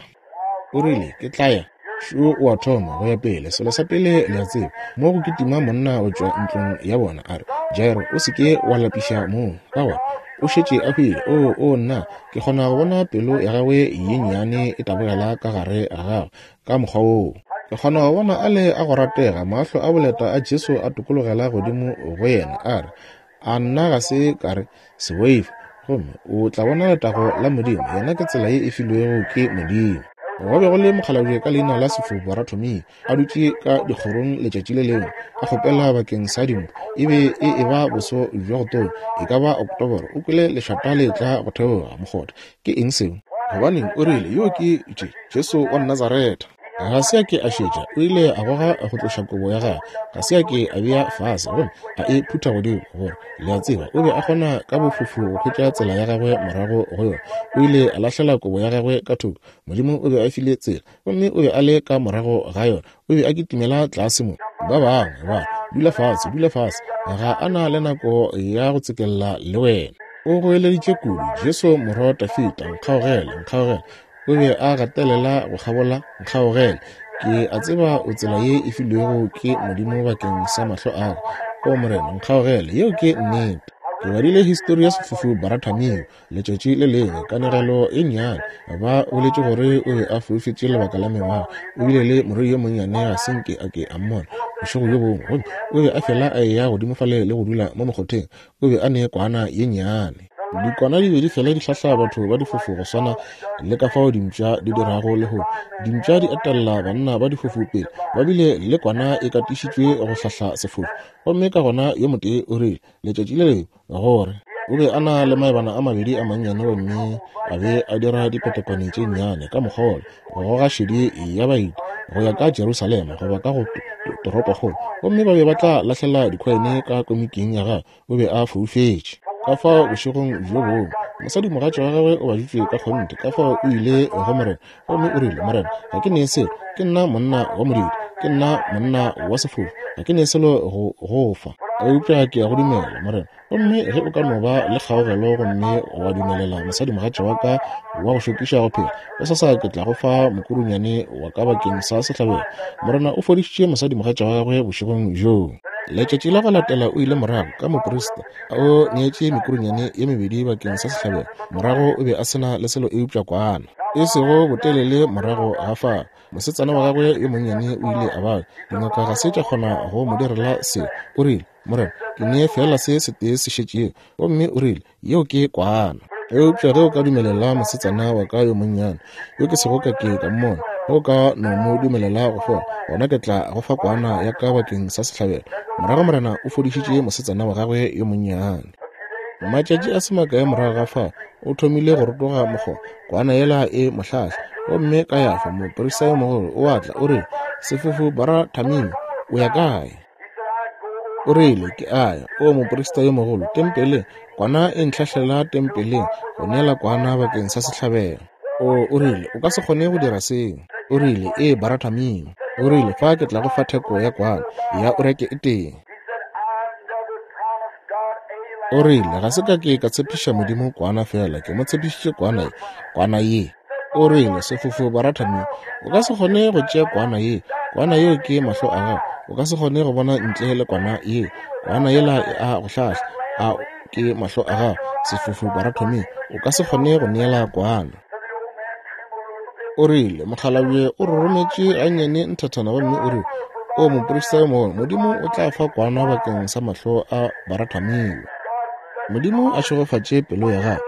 O rile, Ke tla ya. Šo o a thoma go ya pele. Selo sa pele le a tseba, mo go kitima monna go tšwa ntlong ya bona, a re, Jairo, o se ke wa lapiša moo, ka gore o šetše a hwile. Oo, oo, nna, ke kgona go bona pelo ya gagwe ye nnyane e tabogela ka gare ga gagwe ka mokgwa woo. Ke kgona go bona a le a go ratega, mahlo a boleta a Jesu a tokologela godimo go yena, a re, A nna ga se ka re, Se boife, gomme o tla bona letago la Modimo. Yena ke tsela ye e filwego ke Modimo. Go be go le mokgalabje ka leina la Sefofu Baratomio, a dutše ka dikgorong letšatši le lengwe, a kgopela bakeng sa dimpho. E be e eba boso bja go tonya, e ka ba Oktoboro. O kwele lešata le etla go theoga mokgotha. Ke eng seo? Gobaneng, o rile, yo ke Je, Jesu wa Nazaretha. Ga se a ke a šetša, o ile a goga go tloša kobo ya gagwe, ga se a ke a bea fase gomme a e phutha godimo, gore, le a tseba, o be a kgona ka bofofu go hwetša tsela ya gagwe morago go yona. O ile a lahlela kobo ya gagwe ka thoko. Modimo o be a file tsela, gomme o be a le ka morago ga yona. O be a kitimela tlase mo. Ba bangwe ba dula fase, dula fase, ga a na le nako ya go tsekella le wena. O goeleditše kudu, Jesu Morwa wa Dafida, nkgaogele, nkgaogele. O be a gatelela go kgabola, nkgaogele. Ke a tseba o tsela ye e filwego ke Modimo bakeng sa mahlo a ka. O Morena, nkgaogele. Yeo ke nnete. Ke badile histori ya sefofu Baratamio letšatši le lengwe, kanegelo e nnyane. Ba boletše gore o be a foufetše lebaka la mengwaga. O bile le morwedi yo monnyane, ga se nke a ke a mmona bošego bjo bongwe. Gomme o be a fela a eya godimo fale le go dula mo mokgotheng. O be a ne kwana ye nnyane. Dikwana di be di fela di hlahla batho ba difofu go swana le ka fao dimpša di dirago lehono. Dimpša di etelela banna ba difofu pele, ba bile le kwana e katišitšwe go hlahla sefofu. Gomme ka gona yo motee o rile, letšatši le lengwe, gore o be a na le maebana a mabedi a mannyane gomme a be a dira dipetekwane tše nnyane ka mokgwa wola go goga šedi ya baeti go ya ka Jerusalema goba ka go toropokgolo, gomme ba be ba tla lahlela dikhoine ka komiking ya gagwe. O be a foufetše. Ka fao bošegong bjo bongwe mosadimogatša wa gagwe o baditšwe ka kgonthe, ka fao o ile go Morena gomme o rile, Morena, ga ke nee selo, ke nna monna wa modiro, ke nna monna wa sefofu, ga ke nee selo go go fa, eupša ke a go dumela, Morena. Gomme ge o ka no ba le kgaogelo gomme wa dumelela mosadimogatša wa ka wa go šokiša go phela, gosasa ke tla go fa mokurunyane wa ka bakeng sa sehlabelo. Morena o fodišitše mosadimogatša wa gagwe bošegong bjoo. Letšatši la go latela o ile morago ka moprista, o neetše mekurunyane ye mebedi bakeng sa sehlabelo. Morago o be a se na le selo eupša kwana. E sego botelele morago ga fao, mosetsana wa gagwe yo monnyane o ile a babja. Dingaka ga se tša kgona go mo direla selo. O rile, Morena, ke nee feela se setee se šetšego. Gomme o rile, Yeo ke kwana. Eupša ge o ka dumelela mosetsana wa ka yo monnyane, yo ke sego ka ke ka mmona, ge o ka no mo dumelela go fola, gona ke tla go fa kwana ya ka bakeng sa sehlabelo. Morago Morena o fodišitše mosetsana wa gagwe yo monnyane. Matšatši a se makae morago ga fao, o thomile go rotoga mokgoba, kwana yela e mo hlahla. Gomme Kayafa, moprista yo mogolo, o a tla, o rile, Sefofu Barathamimi, o ya kae? O rile, Ke a ya, o moprista yo mogolo, tempeleng, kwana e ntlhahlela tempeleng, go neela kwana bakeng sa sehlabelo. O, o rile, o ka se kgone go dira seo. O rile, Ee, Barathamimo. O rile, Fa ke tla go fa theko ya kwana, ya o reke e tee. O rile, Ga se ka ke ka tshepiša Modimo kwana feela, ke mo tshepišitše kwana ye, kwana ye. O rile, Sefofu Barathamio, o ka se kgone go tšea kwana ye. Kwana yeo ke mahlo a gago. O ka se kgone go bona ntle le kwana ye. Kwana yela e a go hlahla. A ke mahlo a gago. Sefofu Barathamio, o ka se kgone go neela kwana. O rile, Mokgalabje o rorometše gannyane nthathana gomme o rile, O moprista yo mogolo, Modimo o tla fa kwana bakeng sa mahlo a Barathamio. Modimo a šegofatše pelo ya gagwe.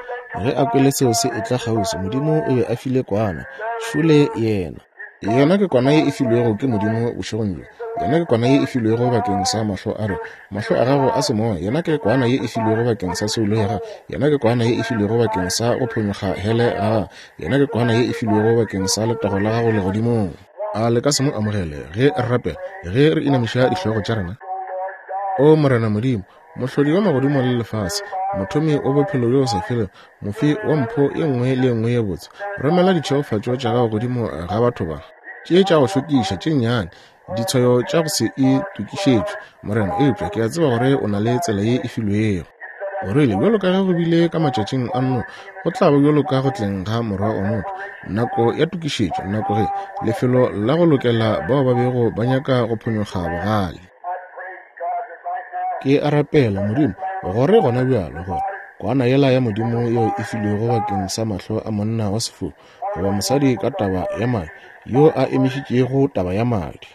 Ge a kwele seo se etla kgauswi, Modimo o be a file kwana. Šole yena. Yena ke kwana ye e filwego ke Modimo bošegong bjo. Yena ke kwana ye e filwego bakeng sa mahlo a rena, mahlo a gago a semoya. Yena ke kwana ye e filwego bakeng sa soulo ya gago. Yena ke kwana ye e filwego bakeng sa go phonyokga hele ga gago. Yena ke kwana ye e filwego bakeng sa letago la gago legodimong. A le ka se mo amogele ge re rapela, ge re inamiša dihlogo tša rena? O Morena Modimo, Mohlodi wa magodimo le lefase, Mothomi wa Bophelo bjo bo sa felego, Mofi wa mpho ye nngwe le ye nngwe ye botse, romela ditšhegofatšo tša Gago godimo ga batho ba. Tše tša go šokiša, tše nnyane, ditshwayo tša go se itokišetšwe, Morena, eupša ke a tseba gore O na le tsela ye e filwego. O rile, Bjalo ka ge go bile ka matšatšing a Noa, go tla ba bjalo ka go tleng ga Morwa wa motho. Nako ya tokišetšo, nako ge, lefelo la go lokela bao ba bego ba nyaka go phonyokga bogale. Ke a rapela, Modimo, gore gona bjalo, gore kwana yela ya Modimo yeo e filwego bakeng sa mahlo a monna wa sefofu goba mosadi ka taba ya madi, yo a emišitšego taba ya madi.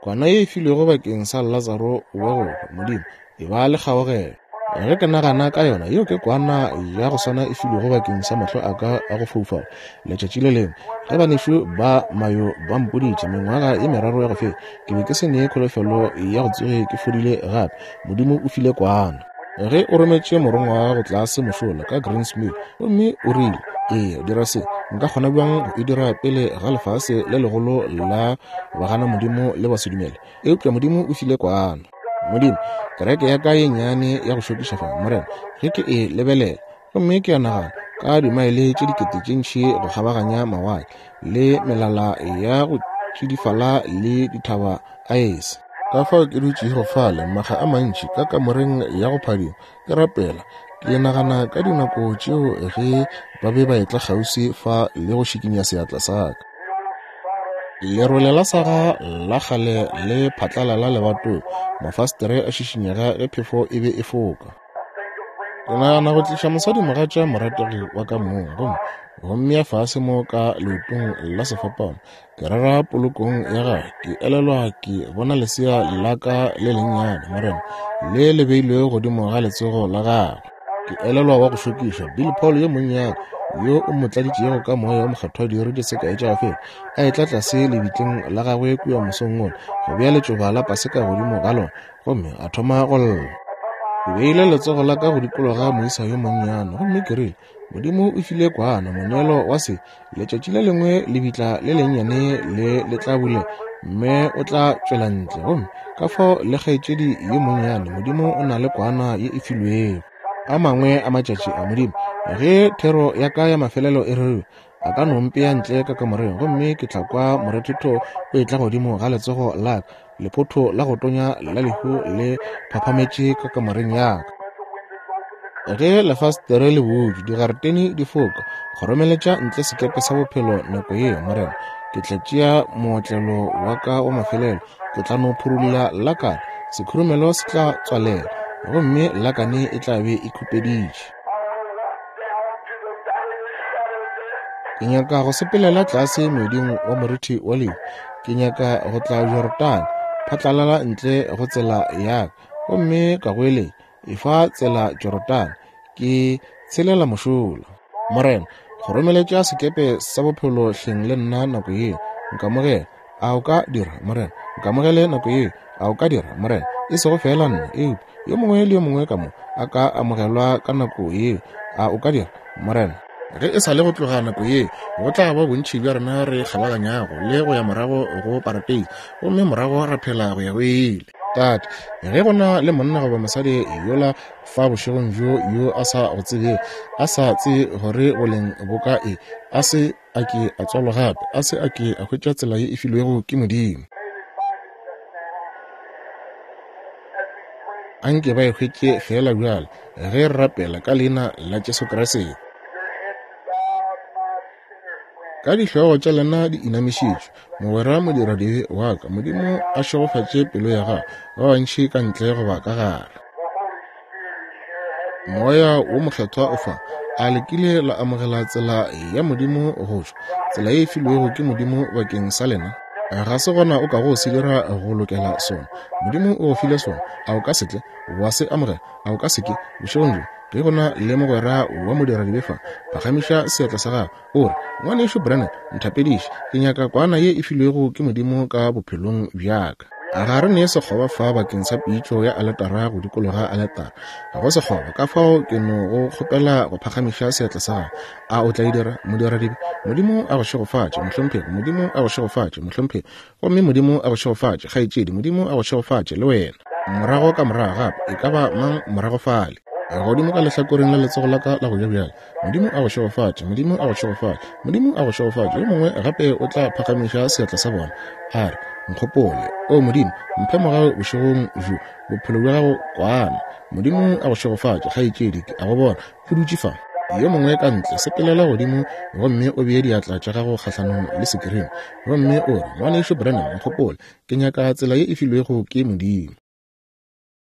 Kwana ye e filwego bakeng sa Latsaro wa go hwa, Modimo, e ba le kgaogelo. Ge ke nagana ka yona, yeo ke kwana ya go swana e filwego bakeng sa mahlo a ka a go foufala. Letšatši le lengwe, ge banešu ba Mayo ba mpoditše, mengwaga ye meraro ya go feta, ke be ke se ne kholofelo ya go tsoge ke fodile gape. Modimo o file kwana. Ge o rometše morongwa wa gago tlase mošola ka Greens Mill, gomme o rile, Eya, dira se, nka kgona bjang go e dira pele ga lefase le legolo la baganamodimo le basedumele? Eupša Modimo o file kwana. Modimo, kereke ya ka ye nnyane ya go šokiša fa, Morena, ge ke e lebelela, gomme ke a nagana, ka dimaele tše dikete tše ntši go kgabaganya mawatle, le melala ya go tšidifala le dithaba aese. Ka fao ke dutšego fale makga a mantši ka kamoreng ya go phadima, ke rapela, ke nagana ka dinako tšeo ge ba be ba etla kgauswi fa le go šikinya seatla sa ka. Lerole la saga la kgale le phatlalala lebatong, mafastere a šišinyega ge phefo e be e foka. Ke nagana go tliša mosadimogatša morategi wa ka mong gomme go mmea fase mo ka leotong la sefapano, ke rera polokong ya gagwe. Ke elelwa ke bona lesea la ka le lennyane, Morena, le le beilwego godimo ga letsogo la gagwe. Ke elelwa wa go šokiša Bill Paul yo monnyane yo o mo tladitšego ka moya wa mokgethwa diiri di se kae tša go feta, a etla tlase lebitleng la gagwe kua mosong wola go bea letšoba la paseka godimo ga lona, gomme a thoma go lla. Ke beile letsogo la ka go dikologa moisa yo monnyane, gomme ke rile, Modimo o file kwana moneelo wa se. Letšatši le lengwe lebitla le lennyane le le tla bulega, mme o tla tšwela ntle. Gomme ka fao le kgaetšedi yo monnyane, Modimo o na le kwana ye e filwego. A mangwe a matšatši a, Modimo, ge thero ya ka ya mafelelo e rerilwe, a ka no mpea ntle ka kamoreng, gomme ke tla kwa morethetho o etla godimo ga letsogo la ka, Lephotho la go tonya la lehu le phaphametše ka kamoreng ya ka. Ge lefastere le butšwe, digaretene di foka, kgoromeletša ntle sekepe sa bophelo nako yeo, Morena. Ke tla tšea mootlelo wa ka wa mafelelo, ke tla no phurulla lakane, sekhurumelo se tla tswalela, gomme lakane e tla be e khupeditše. Ke nyaka go sepelela tlase moeding wa morithi wa lehu. Ke nyaka go tla Jorodane, phatlalala ntle go tsela ya ka, gomme ka goeletša, Efa tsela Jorodane, ke tshelela mošola. Morena, kgoromeletša sekepe sa bophelo hleng le nna nako yeo. Nkamogele. A o ka dira, Morena? Nkamogele nako yeo. A o ka dira, Morena? E sego feela nna, eupša yo mongwe le yo mongwe ka mo a ka amogelwa ka nako yeo. A o ka dira, Morena? Ge e sa le go tloga nako yeo, go tla ba bontši bja rena re kgabaganyago le go ya morago go parateisi, gomme morago ra phela go ya go ile. Tate, ge go na le monna goba mosadi yola fa bošegong bjo yo a sa go tsebego, a sa tsebe gore boleng bo ka e, a se a ke a tswalwa gape, a se a ke a hwetša tsela ye e filwego ke Modimo. Anke ba e hwetše feela bjale ge re rapela ka leina la Jesu Kriste. Ka dihlogo tša lena di inamišitšwe, mogwera modiradibe wa ka, Modimo a šegofatše pelo ya gago, ba bantši ka ntle goba ka gare. Moya wo Mokgethwa o fa. A le kile la amogela tsela ya Modimo go tšwa, tsela ye e filwego ke Modimo bakeng sa lena? Ga se gona o kago se dira go lokela sona. Modimo o go file sona. A o ka se tle wa se amogela? A o ka se ke, bošegong bjo, ge go na le mogwera wa modiradibe fa, phagamiša seatla sa gago, o re, Ngwanešu Branham, nthapediše. Ke nyaka kwana ye e filwego ke Modimo ka bophelong bja ka. Ga re ne sekgoba fa bakeng sa pitšo ya aletara go dikologa aletara. Ga go sekgoba, ka fao ke no go kgopela go phagamiša seatla sa gago. A o tla e dira, modiradibe? Modimo a go šegofatše, mohlomphegi. Modimo a go šegofatše, mohlomphegi. Gomme Modimo a go šegofatše, kgaetšedi. Modimo a go šegofatše, le wena. Morago ka morago gape, e ka ba mang morago fale? Godimo ka lehlakoreng la letsogo la ka la go ja bjale. Modimo a go šegofatše. Modimo a go šegofatše. Modimo a go šegofatše. Yo mongwe gape o tla phagamiša seatla sa bona, a re, Nkgopole. O Modimo, mphe mogau bošegong bjo, bophelo bja gago kwana. Modimo a go šegofatše, kgaetšedi. Ke a go bona o dutše fa. Yo mongwe ka ntle, sepelela godimo gomme o bee diatla tša gago kgahlanong le sekirini, gomme o re, Ngwanešu Branham, nkgopole. Ke nyaka tsela ye e filwego ke Modimo.